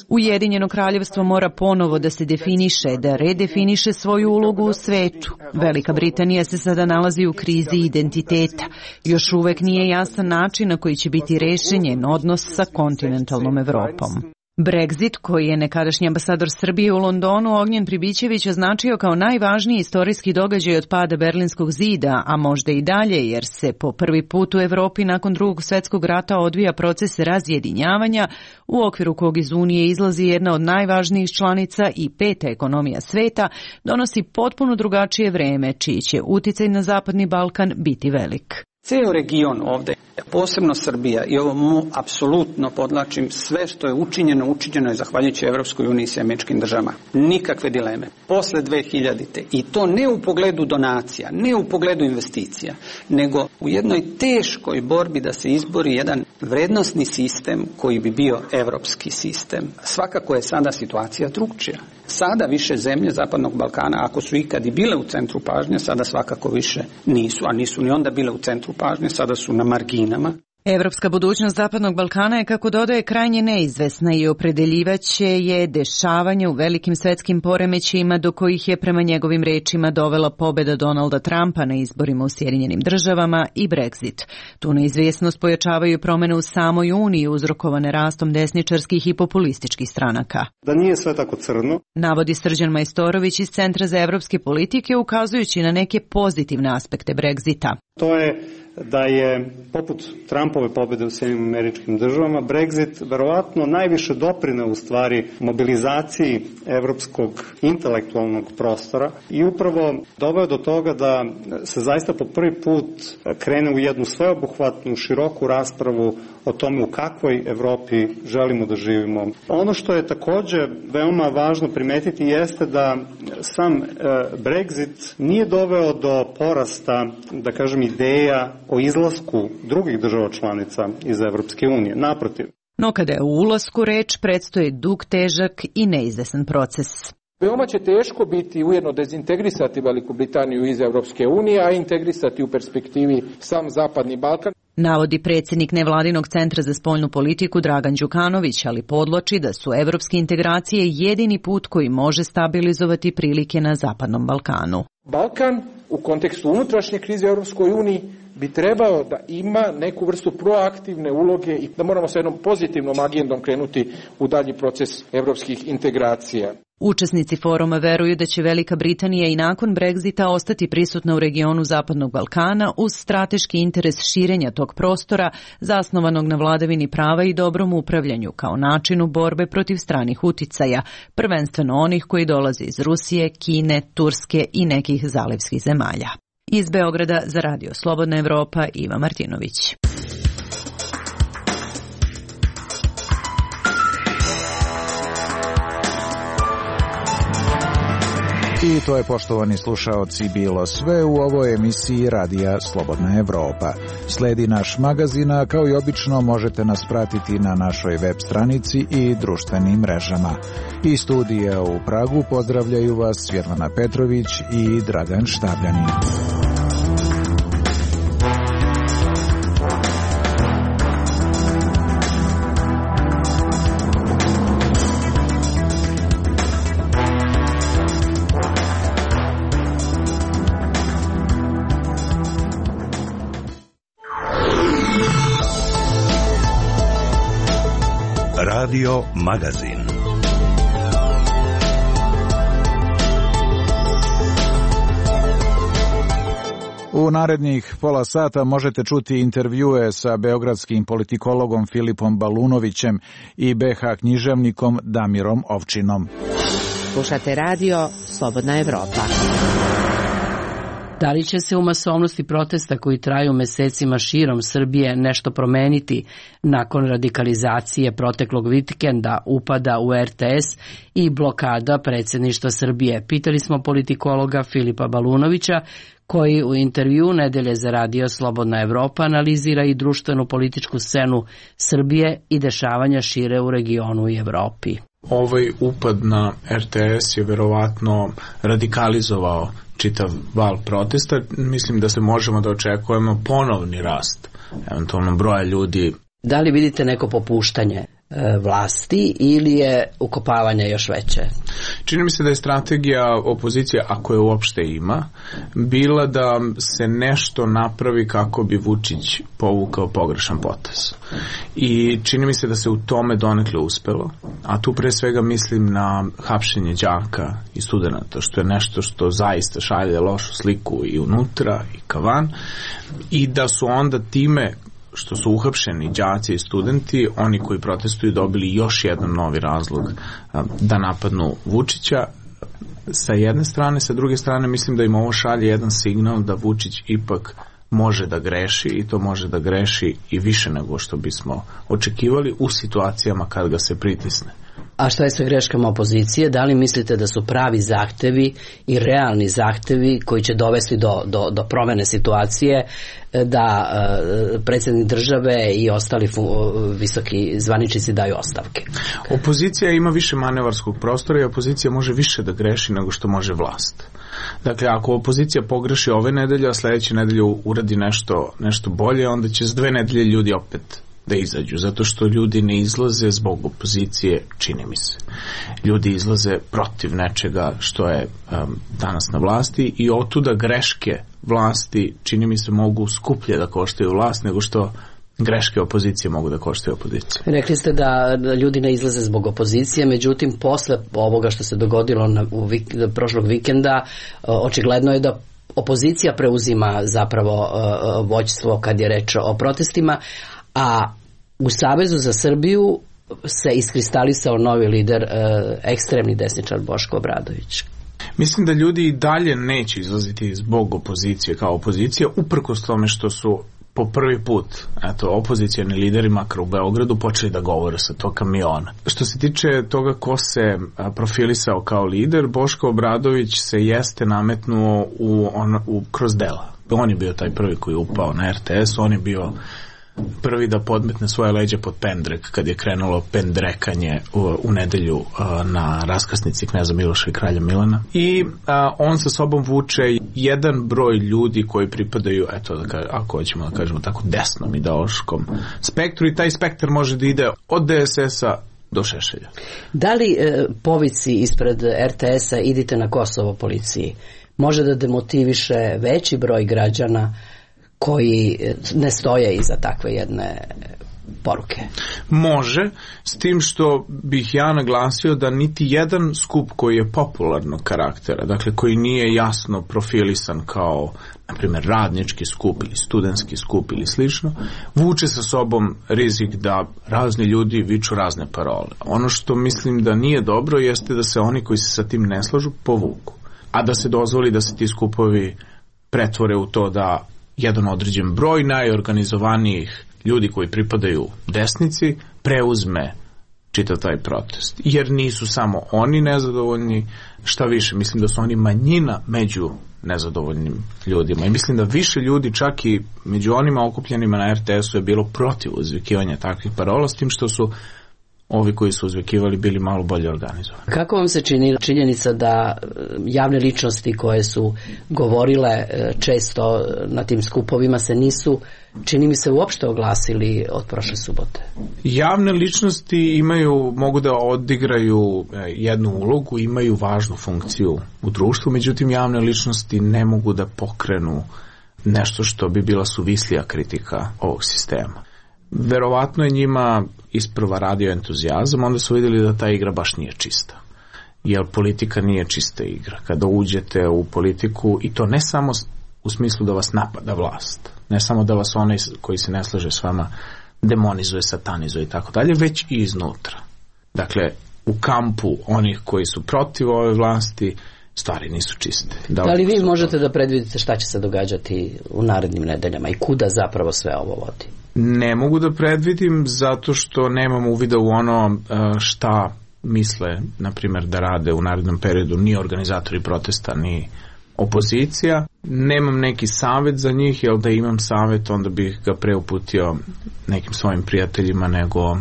Speaker 6: Ujedinjeno kraljevstvo mora ponovo da se definiše, da redefiniše svoju ulogu u svetu. Velika Britanija se sada nalazi u krizi identiteta. Još uvek nije jasan način na koji će biti rešen njen odnos sa kontinentalnom Evropom. Brexit, koji je nekadašnji ambasador Srbije u Londonu Ognjen Pribićević označio kao najvažniji istorijski događaj od pada Berlinskog zida, a možda i dalje, jer se po prvi put u Evropi nakon Drugog svjetskog rata odvija proces razjedinjavanja, u okviru kog iz Unije izlazi jedna od najvažnijih članica i peta ekonomija sveta, donosi potpuno drugačije vreme, čiji će uticaj na Zapadni Balkan biti velik.
Speaker 24: Ceo region ovde, posebno Srbija, i ovo mu apsolutno podlačim, sve što je učinjeno, učinjeno je zahvaljujući Evropskoj uniji i američkim državama. Nikakve dileme. Posle dve hiljadite. I to ne u pogledu donacija, ne u pogledu investicija, nego u jednoj teškoj borbi da se izbori jedan vrednosni sistem koji bi bio evropski sistem. Svakako je sada situacija drugčija. Sada više zemlje Zapadnog Balkana, ako su ikad i bile u centru pažnje, sada svakako više nisu, a nisu ni onda bile u centru pažnje, sada su na marginama.
Speaker 6: Evropska budućnost Zapadnog Balkana je, kako dodaje, krajnje neizvesna i opredeljivaće je dešavanje u velikim svetskim poremećajima do kojih je prema njegovim rečima dovela pobeda Donalda Trumpa na izborima u Sjedinjenim državama i Brexit. Tu neizvjesnost pojačavaju promene u samoj Uniji uzrokovane rastom desničarskih i populističkih stranaka.
Speaker 5: Da nije sve tako crno,
Speaker 6: navodi Srđan Majstorović iz Centra za evropske politike, ukazujući na neke pozitivne aspekte Brexita.
Speaker 5: To je da je, poput Trumpove pobjede u Sjedinjenim Američkim Državama, Brexit verovatno najviše doprineo u stvari mobilizaciji evropskog intelektualnog prostora i upravo doveo do toga da se zaista po prvi put krene u jednu sveobuhvatnu, široku raspravu o tome u kakvoj Evropi želimo da živimo. Ono što je također veoma važno primetiti jeste da sam e, Brexit nije doveo do porasta, da kažem, ideja o izlasku drugih država članica iz Evropske unije. Naprotiv.
Speaker 6: No kada je u ulasku reč, predstoji dug, težak i neizvesan proces.
Speaker 25: Veoma će teško biti ujedno dezintegrisati Veliku Britaniju iz Evropske unije, a integrisati u perspektivi sam Zapadni Balkan.
Speaker 6: Navodi predsjednik nevladinog centra za spoljnu politiku Dragan Đukanović, ali podloči da su evropske integracije jedini put koji može stabilizovati prilike na Zapadnom Balkanu.
Speaker 25: Balkan u kontekstu unutrašnje krize u Evropskoj uniji bi trebao da ima neku vrstu proaktivne uloge i da moramo sa jednom pozitivnom agendom krenuti u dalji proces evropskih integracija.
Speaker 6: Učesnici foruma veruju da će Velika Britanija i nakon Brexita ostati prisutna u regionu Zapadnog Balkana uz strateški interes širenja tog prostora zasnovanog na vladavini prava i dobrom upravljanju kao načinu borbe protiv stranih uticaja, prvenstveno onih koji dolaze iz Rusije, Kine, Turske i nekih zalivskih zemalja. Iz Beograda za Radio Slobodna Evropa, Iva Martinović.
Speaker 1: I to je, poštovani slušaoci, bilo sve u ovoj emisiji Radija Slobodna Evropa. Sledi naš magazin, a kao i obično možete nas pratiti na našoj web stranici i društvenim mrežama. Iz studija u Pragu pozdravljaju vas Svjetlana Petrović i Dragan Štabljanin.
Speaker 7: Radio Magazin.
Speaker 1: U narednih pola sata možete čuti intervjue sa beogradskim politikologom Filipom Balunovićem i be ha književnikom Damirom Ovčinom.
Speaker 8: Slušate radio Slobodna Evropa.
Speaker 9: Da li će se u masovnosti protesta koji traju mesecima širom Srbije nešto promeniti nakon radikalizacije proteklog vikenda, upada u er te es i blokada predsjedništva Srbije? Pitali smo politikologa Filipa Balunovića, koji u intervju Nedelje za radio Slobodna Evropa analizira i društvenu političku scenu Srbije i dešavanja šire u regionu i Evropi.
Speaker 10: Ovaj upad na er te es je verovatno radikalizovao čitav val protesta. Mislim da se možemo da očekujemo ponovni rast, eventualno broja ljudi.
Speaker 9: Da li vidite neko popuštanje e, vlasti ili je ukopavanje još veće?
Speaker 10: Čini mi se da je strategija opozicije, ako je uopšte ima, bila da se nešto napravi kako bi Vučić povukao pogrešan potez. I čini mi se da se u tome donekle uspelo, a tu pre svega mislim na hapšenje đaka i studenata, što je nešto što zaista šalje lošu sliku i unutra i kavan, i da su onda time što su uhapšeni đaci i studenti, oni koji protestuju dobili još jedan novi razlog da napadnu Vučića. Sa jedne strane, sa druge strane mislim da im ovo šalje jedan signal da Vučić ipak može da greši, i to može da greši i više nego što bismo očekivali u situacijama kad ga se pritisne.
Speaker 9: A šta je sa greškama opozicije? Da li mislite da su pravi zahtevi i realni zahtevi koji će dovesti do, do, do promene situacije da uh, predsjednik države i ostali fu, uh, visoki zvaničnici daju ostavke?
Speaker 10: Opozicija ima više manevarskog prostora i opozicija može više da greši nego što može vlast. Dakle, ako opozicija pogreši ove nedelje, a sljedeće nedelje uradi nešto, nešto bolje, onda će s dve nedelje ljudi opet da izađu, zato što ljudi ne izlaze zbog opozicije, čini mi se. Ljudi izlaze protiv nečega što je um, danas na vlasti, i otuda greške vlasti, čini mi se, mogu skuplje da koštaju vlast nego što greške opozicije mogu da koštaju opozicije.
Speaker 9: Rekli ste da ljudi ne izlaze zbog opozicije, međutim posle ovoga što se dogodilo na, u vik, prošlog vikenda, očigledno je da opozicija preuzima zapravo uh, vođstvo kad je reč o protestima, a u Savezu za Srbiju se iskristalisao novi lider, uh, ekstremni desničar Boško Obradović.
Speaker 10: Mislim da ljudi i dalje neće izlaziti zbog opozicije kao opozicija, uprkos tome što su po prvi put, eto, opozicijani lideri, makar u Beogradu, počeli da govore sa tog kamiona. Što se tiče toga ko se profilisao kao lider, Boško Obradović se jeste nametnuo u, on, u, kroz dela. On je bio taj prvi koji je upao na er te es, on je bio prvi da podmetne svoje leđe pod pendrek kad je krenulo pendrekanje u, u nedelju a, na raskrsnici kneza Miloša i kralja Milana. I a, on sa sobom vuče jedan broj ljudi koji pripadaju, eto, da ka, ako hoćemo da kažemo tako, desnom ideološkom spektru, i taj spektar može da ide od de es es-a do Šešelja.
Speaker 9: Da li e, povici ispred er te es-a idite na Kosovo policiji može da demotiviše veći broj građana koji ne stoje iza takve jedne poruke?
Speaker 10: Može, s tim što bih ja naglasio da niti jedan skup koji je popularnog karaktera, dakle koji nije jasno profilisan kao, na primjer, radnički skup ili studentski skup ili slično, vuče sa sobom rizik da razni ljudi viču razne parole. Ono što mislim da nije dobro jeste da se oni koji se sa tim ne slažu povuku, a da se dozvoli da se ti skupovi pretvore u to da jedan određen broj najorganizovanijih ljudi koji pripadaju desnici preuzme čitav taj protest. Jer nisu samo oni nezadovoljni, šta više, mislim da su oni manjina među nezadovoljnim ljudima. I mislim da više ljudi, čak i među onima okupljenima na er te esu, je bilo protiv uzvikivanja takvih parola, s tim što su ovi koji su uzvikivali bili malo bolje organizovani.
Speaker 9: Kako vam se čini činjenica da javne ličnosti koje su govorile često na tim skupovima se nisu, čini mi se, uopšte oglasili od prošle subote?
Speaker 10: Javne ličnosti imaju, mogu da odigraju jednu ulogu, imaju važnu funkciju u društvu, međutim javne ličnosti ne mogu da pokrenu nešto što bi bila suvislija kritika ovog sistema. Verovatno je njima isprva radio entuzijazam, onda su vidjeli da ta igra baš nije čista. Jer politika nije čista igra. Kada uđete u politiku, i to ne samo u smislu da vas napada vlast, ne samo da vas onaj koji se ne slaže s vama demonizuje, satanizuje i tako dalje, već i iznutra. Dakle, u kampu onih koji su protiv ove vlasti stvari nisu čiste.
Speaker 9: Da, da li vi možete da predvidite šta će se događati u narednim nedeljama i kuda zapravo sve ovo vodi?
Speaker 10: Ne mogu da predvidim zato što nemam uvida u ono šta misle, na primjer, da rade u narednom periodu ni organizatori protesta, ni opozicija. Nemam neki savjet za njih, jer da imam savjet onda bih ga preuputio nekim svojim prijateljima nego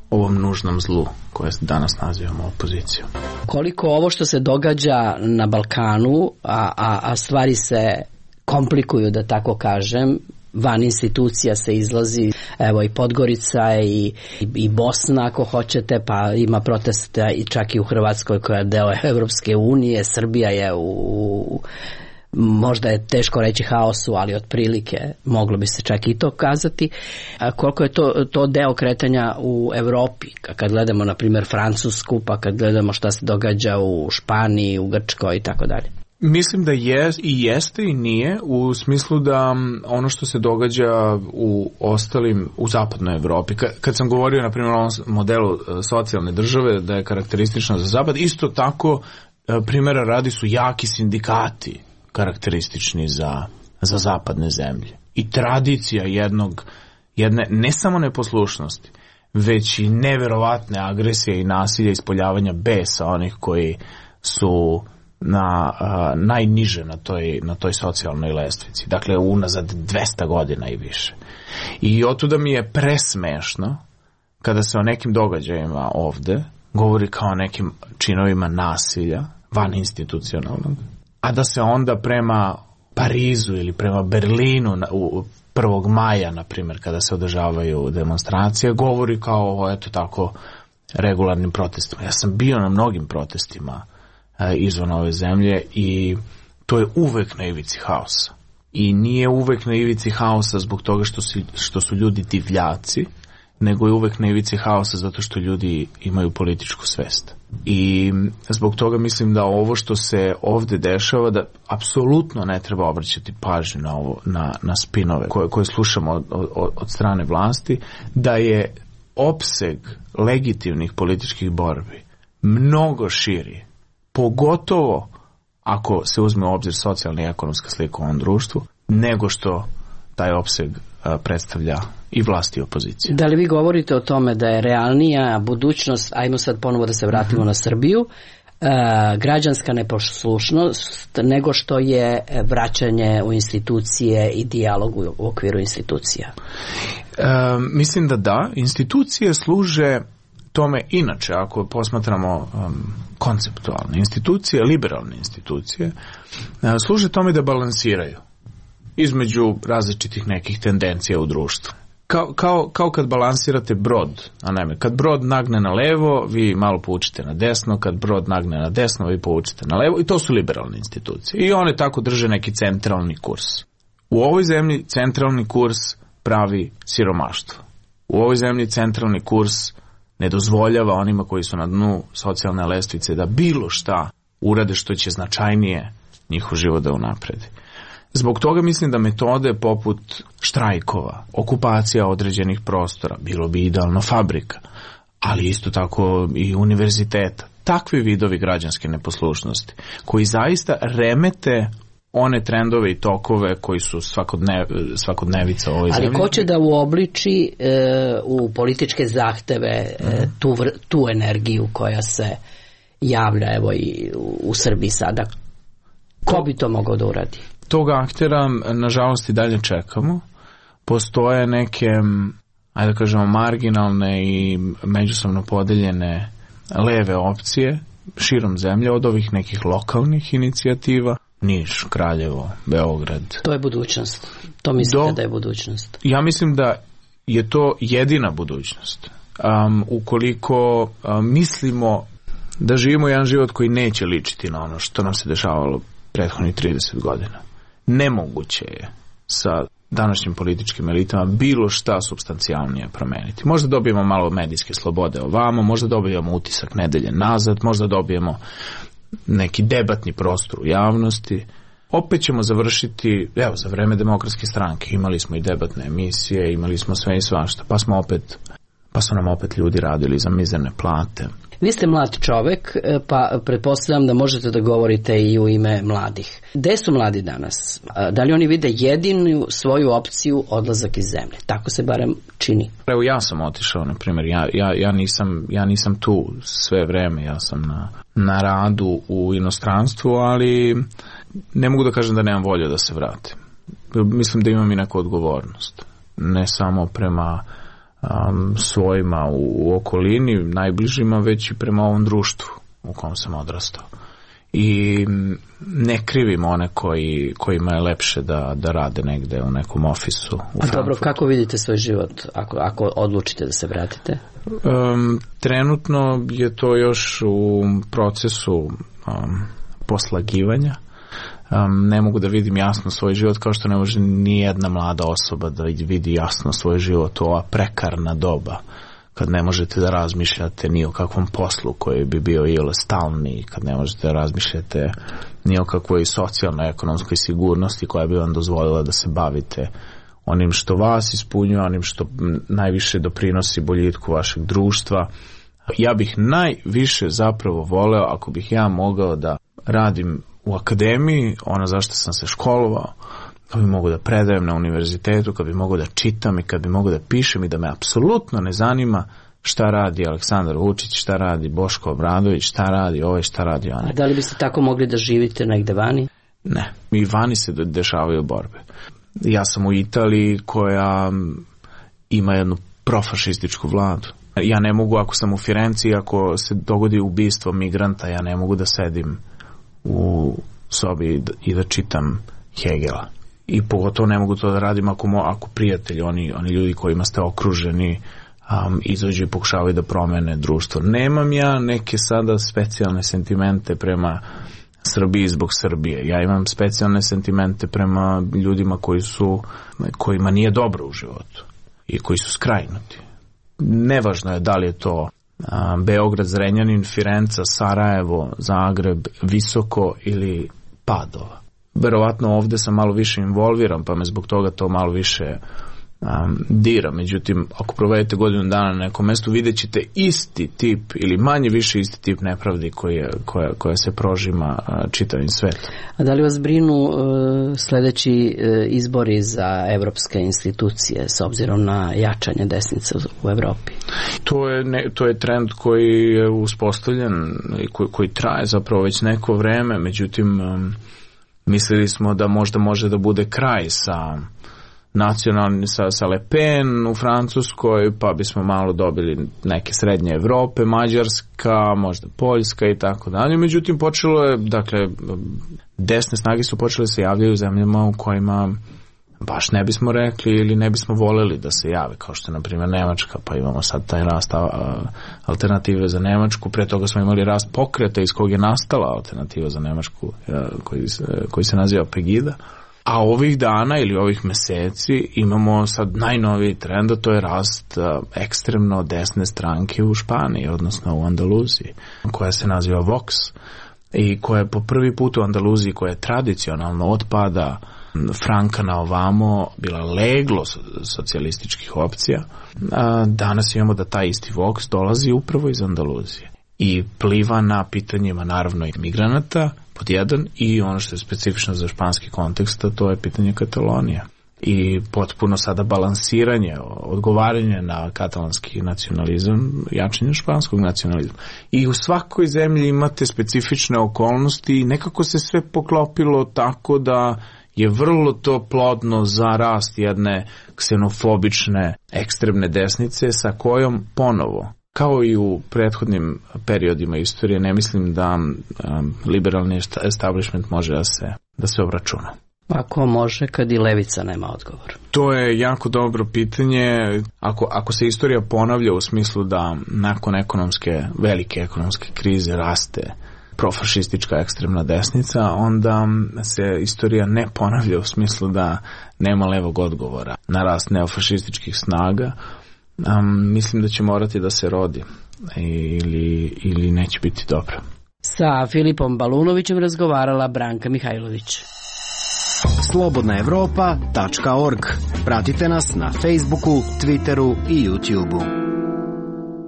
Speaker 10: ovom nužnom zlu koje danas nazivamo opozicijom.
Speaker 9: Koliko ovo što se događa na Balkanu, a, a, a stvari se komplikuju, da tako kažem, van institucija se izlazi, evo i Podgorica i, i Bosna ako hoćete, pa ima protesta i čak i u Hrvatskoj koja je deo Evropske unije, Srbija je u, u možda je teško reći haosu, ali otprilike moglo bi se čak i to kazati. A koliko je to, to deo kretanja u Evropi, kad gledamo na primjer Francusku, pa kad gledamo šta se događa u Španiji, u Grčkoj i tako dalje.
Speaker 10: Mislim da je i jeste i nije, u smislu da ono što se događa u ostalim, u zapadnoj Evropi, kad sam govorio na primjer o modelu socijalne države da je karakteristično za zapad, isto tako primjera radi su jaki sindikati karakteristični za, za zapadne zemlje. I tradicija jednog, jedne ne samo neposlušnosti, već i neverovatne agresije i nasilja, ispoljavanja besa onih koji su na a, najniže na toj, na toj socijalnoj lestvici. Dakle, unazad dvesta godina i više. I otuda mi je presmešno kada se o nekim događajima ovde govori kao o nekim činovima nasilja, van institucionalnog, a da se onda prema Parizu ili prema Berlinu u prvog maja, na primjer, kada se održavaju demonstracije, govori kao o, eto tako, regularnim protestima. Ja sam bio na mnogim protestima izvan ove zemlje i to je uvek na ivici haosa. I nije uvek na ivici haosa zbog toga što, si, što su ljudi divljaci, nego je uvek na ivici haosa zato što ljudi imaju političku svest. I zbog toga mislim da ovo što se ovde dešava, da apsolutno ne treba obraćati pažnju na, ovo, na, na spinove koje, koje slušamo od, od, od strane vlasti, da je opseg legitimnih političkih borbi mnogo širi, pogotovo ako se uzme u obzir socijalna i ekonomska slika u ovom društvu, nego što taj opseg a, predstavlja i vlast i opozicija.
Speaker 9: Da li vi govorite o tome da je realnija budućnost, ajmo sad ponovo da se vratimo mm-hmm. na Srbiju, a, građanska neposlušnost nego što je vraćanje u institucije i dijalog u, u okviru institucija?
Speaker 10: E, mislim da da. Institucije služe tome, inače, ako posmatramo um, konceptualne institucije, liberalne institucije, uh, služe tome da balansiraju između različitih nekih tendencija u društvu. Kao, kao, kao kad balansirate brod, a ne, kad brod nagne na levo, vi malo poučite na desno, kad brod nagne na desno, vi poučite na levo, i to su liberalne institucije. I one tako drže neki centralni kurs. U ovoj zemlji centralni kurs pravi siromaštvo. U ovoj zemlji centralni kurs ne dozvoljava onima koji su na dnu socijalne lestvice da bilo šta urade što će značajnije njihov život da unapredi. Zbog toga mislim da metode poput štrajkova, okupacija određenih prostora, bilo bi idealno fabrika, ali isto tako i univerziteta, takvi vidovi građanske neposlušnosti, koji zaista remete one trendove i tokove koji su svakodnev, svakodnevica ovoj zemlji.
Speaker 9: Ali ko će da uobliči e, u političke zahteve e, tu, tu energiju koja se javlja evo i u, u Srbiji sada? Ko bi to mogao da uradi?
Speaker 10: Tog aktera, nažalost, i dalje čekamo. Postoje neke, ajde da kažemo, marginalne i međusobno podeljene leve opcije širom zemlje od ovih nekih lokalnih inicijativa. Niš, Kraljevo, Beograd.
Speaker 9: To je budućnost. To mislite
Speaker 10: Do,
Speaker 9: da je budućnost?
Speaker 10: Ja mislim da je to jedina budućnost. Um, ukoliko um, mislimo da živimo jedan život koji neće ličiti na ono što nam se dešavalo prethodnih trideset godina. Nemoguće je sa današnjim političkim elitama bilo šta supstancijalnije promeniti. Možda dobijemo malo medijske slobode ovamo, možda dobijemo utisak nedelje nazad, možda dobijemo neki debatni prostor u javnosti. Opet ćemo završiti, evo, za vreme Demokratske stranke imali smo i debatne emisije, imali smo sve i svašta, pa smo opet, pa su nam opet ljudi radili za mizerne plate.
Speaker 9: Vi ste mlad čovek, pa pretpostavljam da možete da govorite i u ime mladih. Gde su mladi danas? Da li oni vide jedinu svoju opciju odlazak iz zemlje? Tako se barem čini.
Speaker 10: Evo, ja sam otišao, na primjer, ja, ja, ja, nisam, ja nisam tu sve vreme, ja sam na, na radu u inostranstvu, ali ne mogu da kažem da nemam volje da se vratim. Mislim da imam i neku odgovornost. Ne samo prema Um, svojima u, u okolini, najbližima, već i prema ovom društvu u kom sam odrastao. I ne krivim one koji, kojima je lepše da, da rade negde u nekom ofisu u
Speaker 9: A
Speaker 10: Frankfurtu.
Speaker 9: Dobro, kako vidite svoj život ako, ako odlučite da se vratite?
Speaker 10: Um, trenutno je to još u procesu um, poslagivanja. Um, ne mogu da vidim jasno svoj život, kao što ne može ni jedna mlada osoba da vidi jasno svoj život u ova prekarna doba, kad ne možete da razmišljate ni o kakvom poslu koji bi bio ili stalni, kad ne možete da razmišljate ni o kakvoj socijalnoj ekonomskoj sigurnosti koja bi vam dozvolila da se bavite onim što vas ispunjuje, onim što najviše doprinosi boljitku vašeg društva. Ja bih najviše zapravo voleo ako bih ja mogao da radim u akademiji, ono zašto sam se školovao, kad bi mogu da predajem na univerzitetu, kad bi mogu da čitam i kad bi mogu da pišem i da me apsolutno ne zanima šta radi Aleksandar Vučić, šta radi Boško Obradović, šta radi ovaj, šta radi onaj.
Speaker 9: A da li biste tako mogli da živite negde vani?
Speaker 10: Ne, i vani se dešavaju borbe. Ja sam u Italiji koja ima jednu profašističku vladu. Ja ne mogu, ako sam u Firenci, ako se dogodi ubistvo migranta, ja ne mogu da sedim u sobi i da čitam Hegela. I pogotovo ne mogu to da radim ako, mo, ako prijatelji, oni, oni ljudi kojima ste okruženi, um, izađu i pokušavaju da promene društvo. Nemam ja neke sada specijalne sentimente prema Srbiji zbog Srbije. Ja imam specijalne sentimente prema ljudima koji su, kojima nije dobro u životu i koji su skrajnuti. Nevažno je da li je to a, Beograd, Zrenjanin, Firenca, Sarajevo, Zagreb, Visoko ili Padova. Verovatno ovde sam malo više involviran, pa me zbog toga to malo više um, dira. Međutim, ako provedete godinu dana na nekom mestu, vidjet ćete isti tip ili manje više isti tip nepravdi koja, koja, koja se prožima uh, čitavim svetom.
Speaker 9: A da li vas brinu uh, sledeći uh, izbori za evropske institucije s obzirom na jačanje desnice u Evropi?
Speaker 10: To je, ne, to je trend koji je uspostavljen i koji, koji traje zapravo već neko vreme, međutim um, mislili smo da možda može da bude kraj sa nacionalnim, sa, sa Le Pen u Francuskoj, pa bismo malo dobili neke srednje Evrope, Mađarska, možda Poljska i tako dalje. Međutim, počelo je, dakle, desne snage su počele se javljaju u zemljama u kojima baš ne bismo rekli ili ne bismo voleli da se jave, kao što je, na primjer, Nemačka, pa imamo sad taj rast a, alternative za Nemačku. Pre toga smo imali rast pokreta iz kog je nastala alternativa za Nemačku, a, koji, koji se naziva Pegida. A ovih dana ili ovih meseci imamo sad najnoviji trend, a to je rast a, ekstremno desne stranke u Španiji, odnosno u Andaluziji, koja se naziva Vox i koja je po prvi put u Andaluziji, koja je tradicionalno otpada Franka na ovamo bila leglo socijalističkih opcija. A danas imamo da taj isti Vox dolazi upravo iz Andaluzije i pliva na pitanjima naravno i migranata, pod jedan, i ono što je specifično za španski kontekst, to je pitanje Katalonije. I potpuno sada balansiranje, odgovaranje na katalanski nacionalizam, jačanje španskog nacionalizma. I u svakoj zemlji imate specifične okolnosti i nekako se sve poklopilo tako da je vrlo to plodno za rast jedne ksenofobične ekstremne desnice sa kojom ponovo, kao i u prethodnim periodima istorije, ne mislim da um, liberalni establishment može da se, da se obračuna.
Speaker 9: Ako može, kad i levica nema odgovor?
Speaker 10: To je jako dobro pitanje. Ako, ako se istorija ponavlja u smislu da nakon ekonomske, velike ekonomske krize raste profašistička ekstremna desnica, onda se istorija ne ponavlja u smislu da nema levog odgovora na rast neofašističkih snaga. Um, mislim da će morati da se rodi ili, ili neće biti dobro.
Speaker 9: Sa Filipom Balunovićem razgovarala Branka Mihajlović.
Speaker 2: slobodna evropa tačka org. Pratite nas na Facebooku, Twitteru i YouTubeu.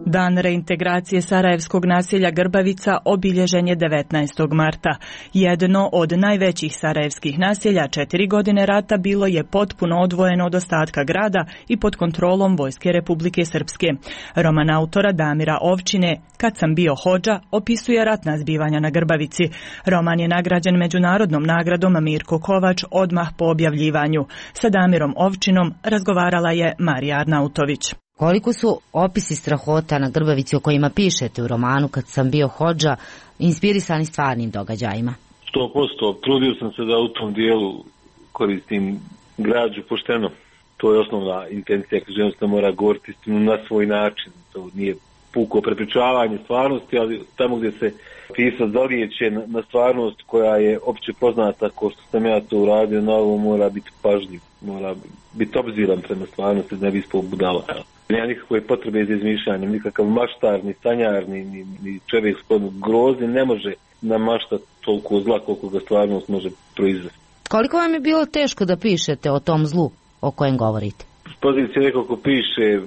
Speaker 12: Dan reintegracije sarajevskog naselja Grbavica obilježen je devetnaestog marta. Jedno od najvećih sarajevskih naselja četiri godine rata bilo je potpuno odvojeno od ostatka grada i pod kontrolom Vojske Republike Srpske. Roman autora Damira Ovčine "Kad sam bio hodža" opisuje ratna zbivanja na Grbavici. Roman je nagrađen međunarodnom nagradom Mirko Kovač odmah po objavljivanju. Sa Damirom Ovčinom razgovarala je Marija Arnautović.
Speaker 13: Koliko su opisi strahota na Grbavici o kojima pišete u romanu "Kad sam bio hodža" inspirisani stvarnim događajima?
Speaker 14: sto posto. Trudio sam se da u tom dijelu koristim građu pošteno. To je osnovna intencija, književnost mora govoriti istinu na svoj način. To nije puko prepričavanje stvarnosti, ali tamo gdje se pisac zalijeće na stvarnost koja je opće poznata, kao što sam ja to uradio, na ovo mora biti pažljiv, mora biti obziran prema stvarnosti, da ne bi ispao budala. Nema nikakve potrebe za izmišljanjem, nikakav maštar, ni sanjar, ni, ni, ni čovjek sklon grozi ne može namaštati toliko zla koliko ga stvarnost može proizvesti.
Speaker 13: Koliko vam je bilo teško da pišete o tom zlu o kojem govorite?
Speaker 14: S pozicije neko ko piše,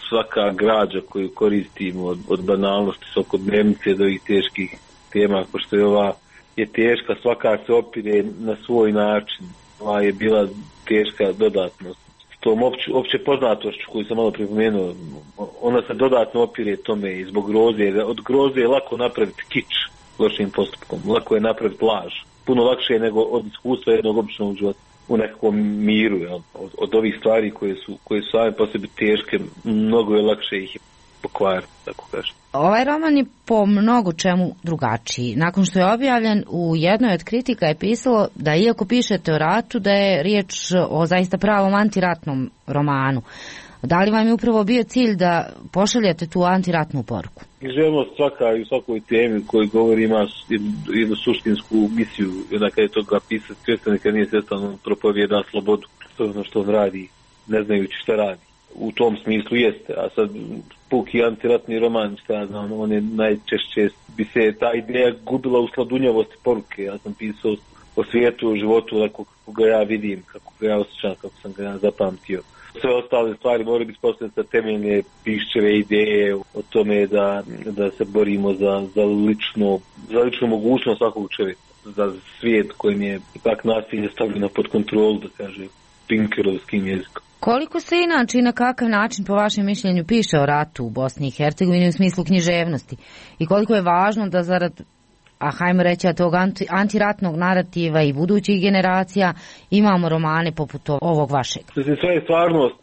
Speaker 14: svaka građa koju koristimo od, od banalnosti svakodnevnice do ovih teških tema, kao što je ova je teška, svaka se opire na svoj način. Ova je bila teška dodatnost. Tom opće, opće poznatošću koju sam malo pripomenuo, ona se dodatno opire tome i zbog groze. Od groze je lako napraviti kič lošim postupkom, lako je napraviti laž. Puno lakše je nego od iskustva jednog običnog života u nekakvom miru. Jel? Od, od ovih stvari koje su, koje su same po sebi teške, mnogo je lakše ih pokvariti, tako kažem.
Speaker 13: Ovaj roman je po mnogo čemu drugačiji. Nakon što je objavljen, u jednoj od kritika je pisalo da iako pišete o ratu, da je riječ o zaista pravom antiratnom romanu. Da li vam je upravo bio cilj da pošaljete tu antiratnu poruku?
Speaker 14: Književnost svaka i u svakoj temi koji govori ima jednu suštinsku misiju, onda kada je toga pisati, svjestan nekad nije svjestan, propovijeda slobodu, to je ono što on radi, ne znajući šta radi. U tom smislu jeste, a sad puki antiratni roman, šta znam, on je najčešće, bi se ta ideja gubila u sladunjavosti poruke. Ja sam pisao o svijetu, o životu, kako, kako ga ja vidim, kako ga ja osjećam, kako sam ga ja zapamtio. Sve ostale stvari moraju biti postavljene sa temeljne Piščeve ideje o tome da, da se borimo za, za, lično, za ličnu mogućnost svakog čovjeka, za svijet kojim je ipak nasilje stavljeno pod kontrolu, da kaže Pinkerovskim jezikom.
Speaker 13: Koliko se inače i na kakav način po vašem mišljenju piše o ratu u Bosni i Hercegovini u smislu književnosti i koliko je važno da zarad, a hajmo reći, tog anti, antiratnog narativa i budućih generacija imamo romane poput ovog vašeg?
Speaker 14: Sve je stvarnost,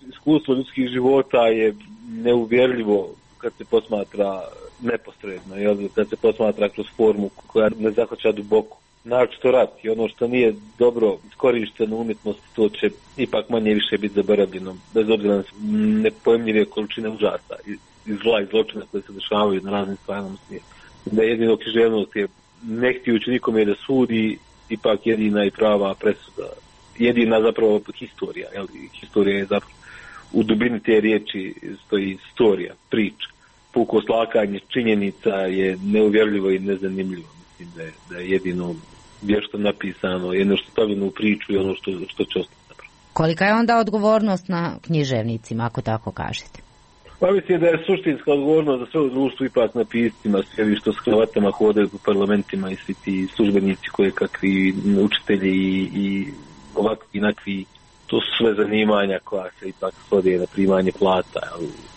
Speaker 14: iskustvo ljudskih života je neuvjerljivo kad se posmatra neposredno, jel? Kad se posmatra kroz formu koja ne zahvaća duboko. Naročito rat i ono što nije dobro iskorišteno umjetnosti, to će ipak manje više biti zaboravljeno, bez obzira na nepojemljive količine užasa i zla i zločina koje se dešavaju na raznim stvarima svijeta. Da jedino književnost je, ne htijući nikome da sudi, ipak jedina i prava presuda, jedina zapravo historija, jel? Historija je zapravo, u dubini te riječi stoji historija, priča. Puko slakanje činjenica je neuvjerljivo i nezanimljivo. Mislim da je, da je jedino vješto napisano, jedno što stavljeno u priču i ono što, što će ostati zapravo.
Speaker 13: Kolika je onda odgovornost na književnicima, ako tako kažete?
Speaker 14: Pa mislim da je suštinska odgovornost za sve u društvu ipak na piscima, svi ovi što s kravatama hodaju u parlamentima i svi ti službenici koje kakvi učitelji i, i ovakvi i nakvi, to su sve zanimanja koja se ipak svode na primanje plata.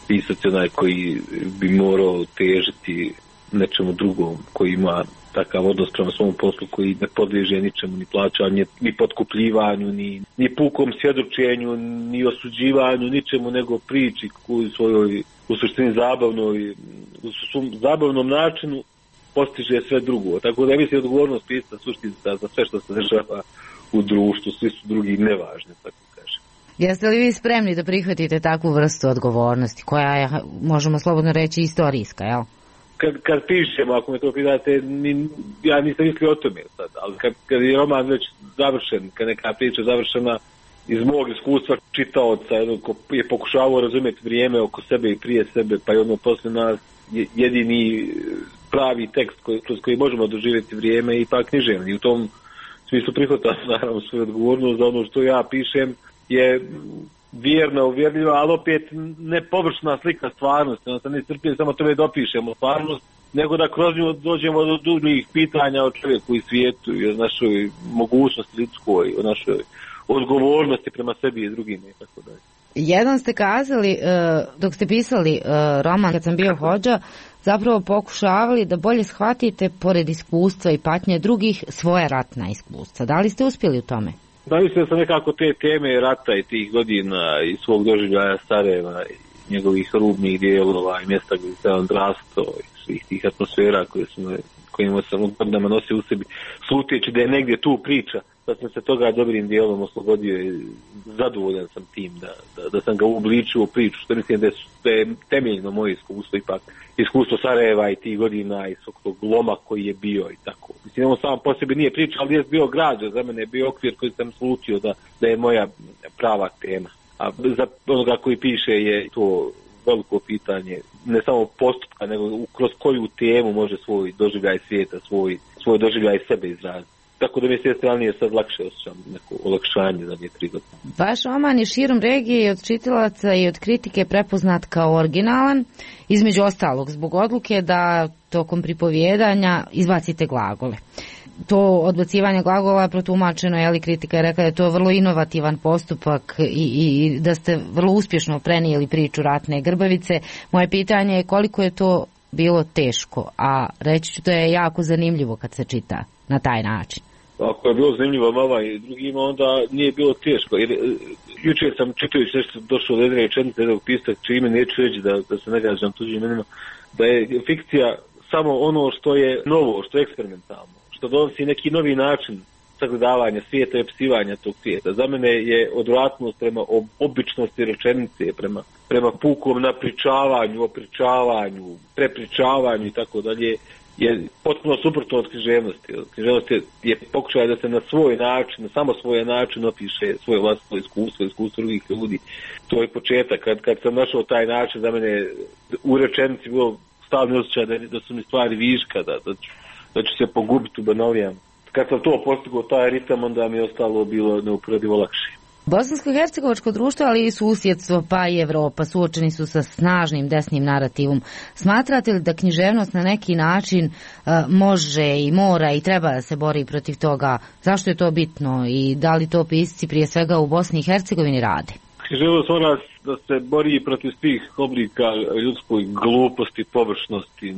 Speaker 14: Pisac je onaj koji bi morao težiti nečemu drugom, koji ima takav odnos prema svom poslu koji ne podliježe ničemu, ni plaćanju, ni potkupljivanju, ni, ni pukom svjedočenju, ni osuđivanju, ničemu nego priči koju svojoj u suštini zabavnoj, u svom zabavnom načinu postiže sve drugo. Tako da mislim odgovornost pisca suštinska za sve što se dešava u društvu, svi su drugi nevažni, tako kažem.
Speaker 13: Jeste li vi spremni da prihvatite takvu vrstu odgovornosti, koja je, možemo slobodno reći, istorijska, jel?
Speaker 14: Kad, kad pišem, ako me to pitate, ni, ja nisam mislio o tome sad, ali kad, kad je roman već završen, kad neka priča završena iz mog iskustva čitaoca, ko je pokušavao razumjeti vrijeme oko sebe i prije sebe, pa je ono poslije nas jedini pravi tekst koji, kroz koji možemo doživjeti vrijeme i pa književni. U tom smislu prihvatam naravno svoju odgovornost za ono što ja pišem je vjerno, uvjerljiva, ali opet ne površna slika stvarnosti. Ono se ne strpije samo tome dopišemo stvarnost, nego da kroz nju dođemo do drugih pitanja o čovjeku i svijetu i o našoj mogućnosti ljudskoj, o našoj odgovornosti prema sebi i drugima i tako dalje.
Speaker 13: Jedan ste kazali, dok ste pisali roman Kad sam bio hodža, zapravo pokušavali da bolje shvatite, pored iskustva i patnje drugih, svoje ratna iskustva. Da li ste uspjeli u tome?
Speaker 14: Da, mislim da sam nekako te teme rata i tih godina i svog doživljaja Sarajeva i njegovih rubnih dijelova i mjesta gdje se on drasto i svih tih atmosfera koje smo, kojima sam godinama nosio u sebi, sluteći da je negdje tu priča, da sam se toga dobrim dijelom oslobodio i zadovoljan sam tim da, da, da sam ga uobličio u priču, što mislim da je, da je temeljno moje iskustvo ipak, iskustvo Sarajeva i tih godina i svog tog loma koji je bio i tako. Mislim, on sam po sebi nije priča, ali je bio građa, za mene je bio okvir koji sam slutio da, da je moja prava tema. A za onoga koji piše je to veliko pitanje, ne samo postupka, nego kroz koju temu može svoj doživljaj svijeta, svoj, svoj doživljaj sebe izraziti. Tako da mi se strane sad lakše osjećam neko olakšanje za nje tri godine.
Speaker 13: Vaš roman je širom regije i od čitalaca i od kritike prepoznat kao originalan, između ostalog zbog odluke da tokom pripovjedanja izbacite glagole. To odbacivanje glagola je protumačeno, je li kritika je rekla da je to vrlo inovativan postupak i, i, i da ste vrlo uspješno prenijeli priču Ratne Grbavice. Moje pitanje je koliko je to bilo teško, a reći ću da je jako zanimljivo kad se čita na taj način.
Speaker 14: Ako je bilo zanimljivo vama i drugima, onda nije bilo teško. Jer jučer sam čitajući nešto došao do jedne rečenice jednog pisca, čime neću reći da, da se ne gađam tuđim imenima, da je fikcija samo ono što je novo, što je eksperimentalno, što donosi neki novi način sagledavanja svijeta i opisivanja tog svijeta. Za mene je odvratnost prema običnosti rečenice, prema, prema pukom napričavanju, opričavanju, prepričavanju i tako dalje, je potpuno suprotno od književnosti. Književnost je, je pokušaj da se na svoj način, na samo svoj način opiše svoje vlastno iskustvo, iskustvo drugih ljudi. To je početak. Kad, kad sam našao taj način, za mene u rečenici bilo stalni osjećaj da, da su mi stvari viška, da, da, ću, da ću se pogubiti u banalijan. Kad sam to postigao, taj ritam, onda mi je ostalo bilo neuporedivo lakše.
Speaker 13: Bosansko-hercegovačko društvo, ali i susjedstvo, pa i Evropa suočeni su sa snažnim desnim narativom. Smatrate li da književnost na neki način uh, može i mora i treba da se bori protiv toga? Zašto je to bitno i da li to pisci prije svega u Bosni i Hercegovini rade?
Speaker 14: Književnost mora da se bori protiv svih oblika ljudskoj gluposti, površnosti,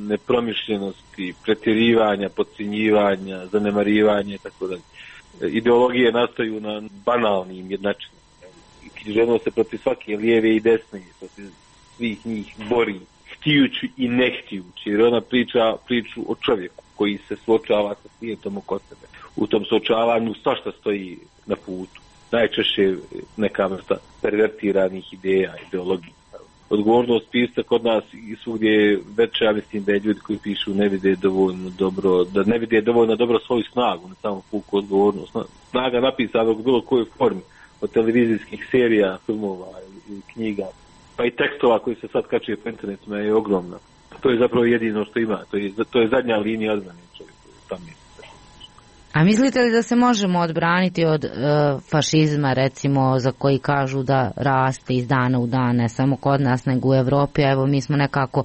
Speaker 14: nepromišljenosti, pretjerivanja, podcjenjivanja, zanemarivanja i tako dalje. Ideologije nastaju na banalnim jednačinama. Književnost se protiv svake lijeve i desne, protiv svih njih bori, htijući i ne htijući, jer ona priča priču o čovjeku koji se suočava sa svijetom oko sebe. U tom suočavanju svašta stoji na putu. Najčešće neka vrsta pervertiranih ideja, ideologija. Odgovornost pisca kod nas i svugdje je veća, ja mislim da je ljudi koji pišu ne vide dovoljno dobro, da ne vide dovoljno dobro svoju snagu, ne samo puku odgovornost. Snaga napisanog u bilo kojoj formi, od televizijskih serija, filmova ili knjiga, pa i tekstova koji se sad kačuje po internetima je ogromna. To je zapravo jedino što ima, to je, to je zadnja linija odbrane čovjeku. Tam je.
Speaker 13: A mislite li da se možemo odbraniti od e, fašizma, recimo, za koji kažu da raste iz dana u dan, ne samo kod nas, nego u Evropi, a evo mi smo nekako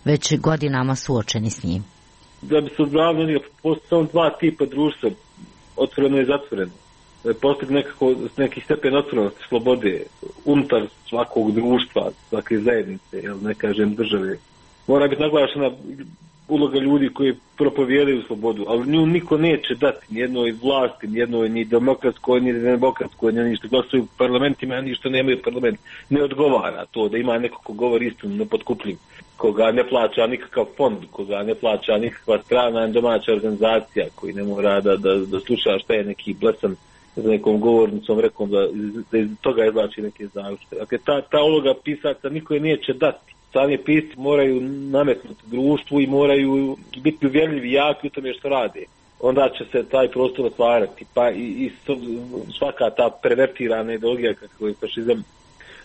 Speaker 13: već godinama suočeni s njim?
Speaker 14: Da bi se odbranili, postoje samo dva tipa društva, otvoreno i zatvoreno. Postoji nekako neki stepen otvorenosti, slobode, unutar svakog društva, svake zajednice, jel, ne kažem države. Mora biti naglašena uloga ljudi koji propovijedaju slobodu, ali nju niko neće dati nijednoj vlasti, nijednoj ni demokratskoj, ni demokratskoj, ni što glasuju u parlamentima, ni što nemaju parlament. Ne odgovara to da ima neko ko govori istinu, nepotkupljiv, koga ne plaća nikakav fond, koga ne plaća nikakva strana domaća organizacija, koji ne mora da, da, da sluša šta je neki blesan za nekom govornicom rekom da, da iz toga izvlači neke zaključke. Dakle, ta, ta uloga pisaca niko je neće dati. Sami pisci moraju nametnuti društvu i moraju biti uvjerljivi i jaki u tome što rade. Onda će se taj prostor otvarati. Pa i, i svaka ta pervertirana ideologija kako je fašizam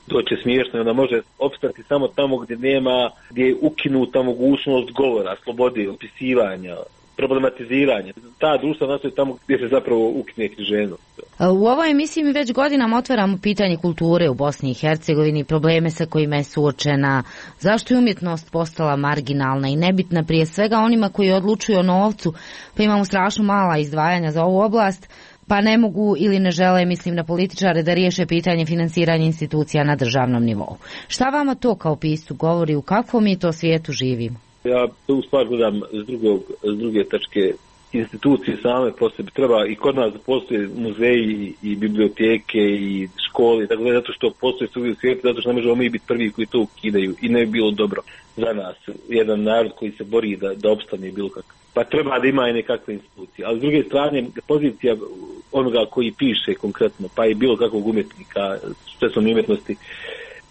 Speaker 14: doće smiješno, onda može opstati samo tamo gdje nema, gdje je ukinuta mogućnost govora, slobode, opisivanja, problematiziranje. Ta društva nastoji tamo gdje se zapravo ukine književnost.
Speaker 13: U ovoj emisiji mi već godinama otvaramo pitanje kulture u Bosni i Hercegovini, probleme sa kojima je suočena, zašto je umjetnost postala marginalna i nebitna prije svega onima koji odlučuju o novcu, pa imamo strašno mala izdvajanja za ovu oblast, pa ne mogu ili ne žele, mislim na političare, da riješe pitanje finansiranja institucija na državnom nivou. Šta vama to kao piscu govori, u kakvom mi to svijetu živimo?
Speaker 14: Ja tu stvar gledam s, drugog, s druge tačke. Institucije same po sebi treba i kod nas postoje muzeji i biblioteke i škole, tako da zato što postoje svugdje u svijetu, zato što ne možemo mi biti prvi koji to ukidaju i ne bi bilo dobro za nas, jedan narod koji se bori da, da opstane bilo kako. Pa treba da ima i nekakve institucije, ali s druge strane pozicija onoga koji piše konkretno, pa i bilo kakvog umjetnika, stresovne umjetnosti,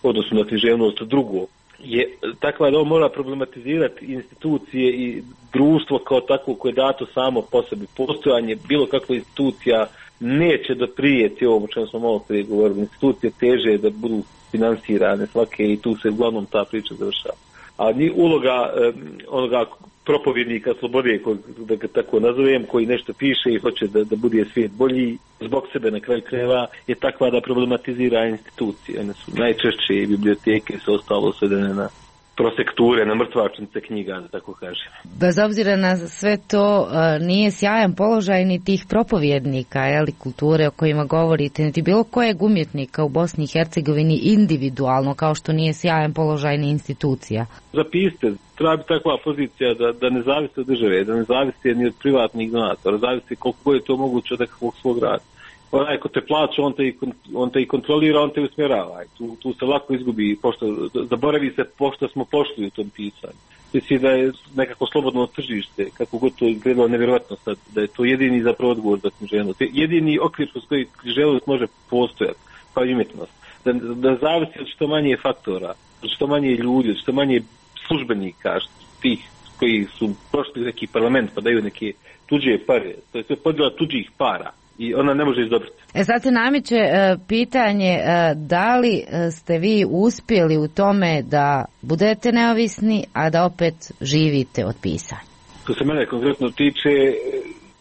Speaker 14: odnosno na književnost drugo, je takva da on mora problematizirati institucije i društvo kao takvo koje je dato samo po sebi. Postojanje bilo kakva institucija neće doprijeti ovom o čemu smo malo prije govorili. Institucije teže da budu finansirane svake i tu se uglavnom ta priča završava. A ni uloga um, onoga propovjednika slobode, da ga tako nazovem, koji nešto piše i hoće da, da bude svijet bolji zbog sebe na kraju krajeva, je takva da problematizira institucije. One su najčešće i biblioteke su ostalo svedene na prosekture, na mrtvačnice knjiga, da tako kažem.
Speaker 13: Bez obzira na sve to, nije sjajan položaj ni tih propovjednika, jeli, kulture o kojima govorite, niti bilo kojeg umjetnika u Bosni i Hercegovini individualno, kao što nije sjajan položaj ni institucija.
Speaker 14: Zapisite, treba biti takva pozicija da, da ne zavisi od države, da ne zavisi ni od privatnih donatora, zavisi koliko je to moguće od nekakvog svog rada. Onaj ko te plaća, on te, i, on te i kontrolira, on te usmjerava. Tu, tu se lako izgubi, pošto, zaboravi se pošto smo pošli u tom pisanju. Misli da je nekako slobodno tržište, kako god to izgledalo nevjerojatno sad, da je to jedini zapravo odgovor za književnost. Jedini okvir s koji književnost može postojati, kao umjetnost. Da, da zavisi od što manje faktora, od što manje ljudi, od što manje službenika, tih koji su prošli neki parlament pa daju neke tuđe pare. To je sve podjela tuđih para. I ona ne može izdobriti.
Speaker 13: E sad se nameće e, pitanje e, da li ste vi uspjeli u tome da budete neovisni, a da opet živite od pisanja?
Speaker 14: Što se mene konkretno tiče,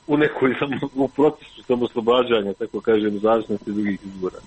Speaker 14: u nekoj sam u procesu samoslobađanja, tako kažem, u zavisnosti drugih izbora.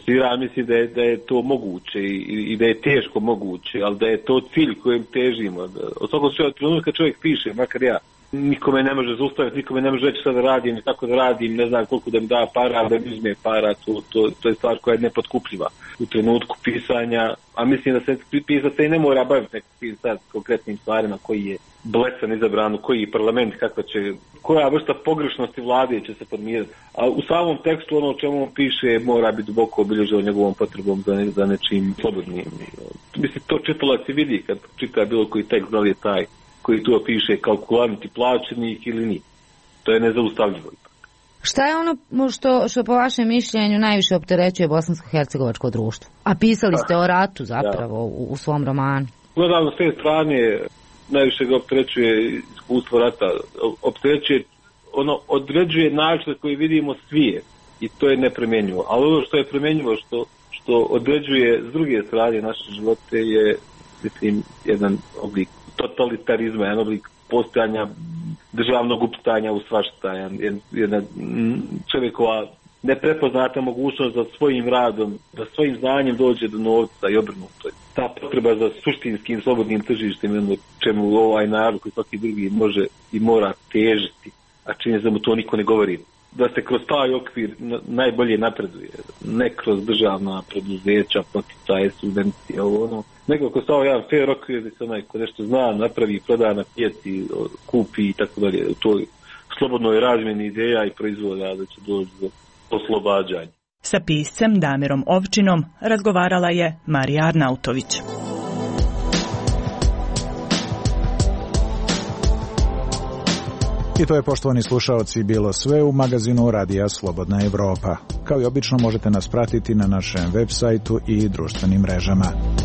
Speaker 14: Ja mislim da je, da je to moguće i, i da je teško moguće, ali da je to cilj kojem težimo. Da, od svakog trenutka čovjek piše, makar ja, nikome ne može zaustaviti, nikome ne može reći šta da radim i kako da radim, ne znam koliko da mi da para, da mi uzme para, to, to, to je stvar koja je nepotkupljiva u trenutku pisanja, a mislim da se pisaca i ne mora baviti nekakvim sad konkretnim stvarima koji je blesan izabran, koji je parlament, kakva će, koja vrsta pogrešnosti vlade će se formirati. A u samom tekstu ono o čemu on piše mora biti duboko obilježeno njegovom potrebom za, ne, za nečim slobodnim. Mislim, to čitalac i vidi kad čita bilo koji tekst, da li je taj koji tu piše kalkulant i plaćenik ili nije. To je nezaustavljivo.
Speaker 13: Šta je ono što, što po vašem mišljenju najviše opterećuje bosansko-hercegovačko društvo? A pisali ste o ratu zapravo u, u svom romanu.
Speaker 14: Gledano s te strane, najviše ga opterećuje iskustvo rata. Opterećuje, ono određuje način koji vidimo svijet i to je nepremjenjivo. Ali ono što je premjenjivo, što, što određuje s druge strane naše živote je, mislim, jedan oblik totalitarizma, jedan oblik postojanja državnog upitanja u svašta. Jedna čovjekova neprepoznata mogućnost da svojim radom, da svojim znanjem dođe do novca i obrnuto. Ta potreba za suštinskim slobodnim tržištem, čemu ovaj narod koji svaki drugi može i mora težiti, a čini da mu to niko ne govori. Da se kroz taj okvir najbolje napreduje, ne kroz državna preduzeća, poticaje, subvencije, ovo ono, nego kroz ovaj jedan fair okvir da se onaj ko nešto zna, napravi, proda na pijaci, kupi i tako dalje. U toj slobodnoj razmjeni ideja i proizvoda da će doći do oslobađanja.
Speaker 12: Sa piscem Damirom Ovčinom razgovarala je Marija Arnautović.
Speaker 1: I to je, poštovani slušaoci, bilo sve u magazinu Radija Slobodna Evropa. Kao i obično možete nas pratiti na našem web sajtu i društvenim mrežama.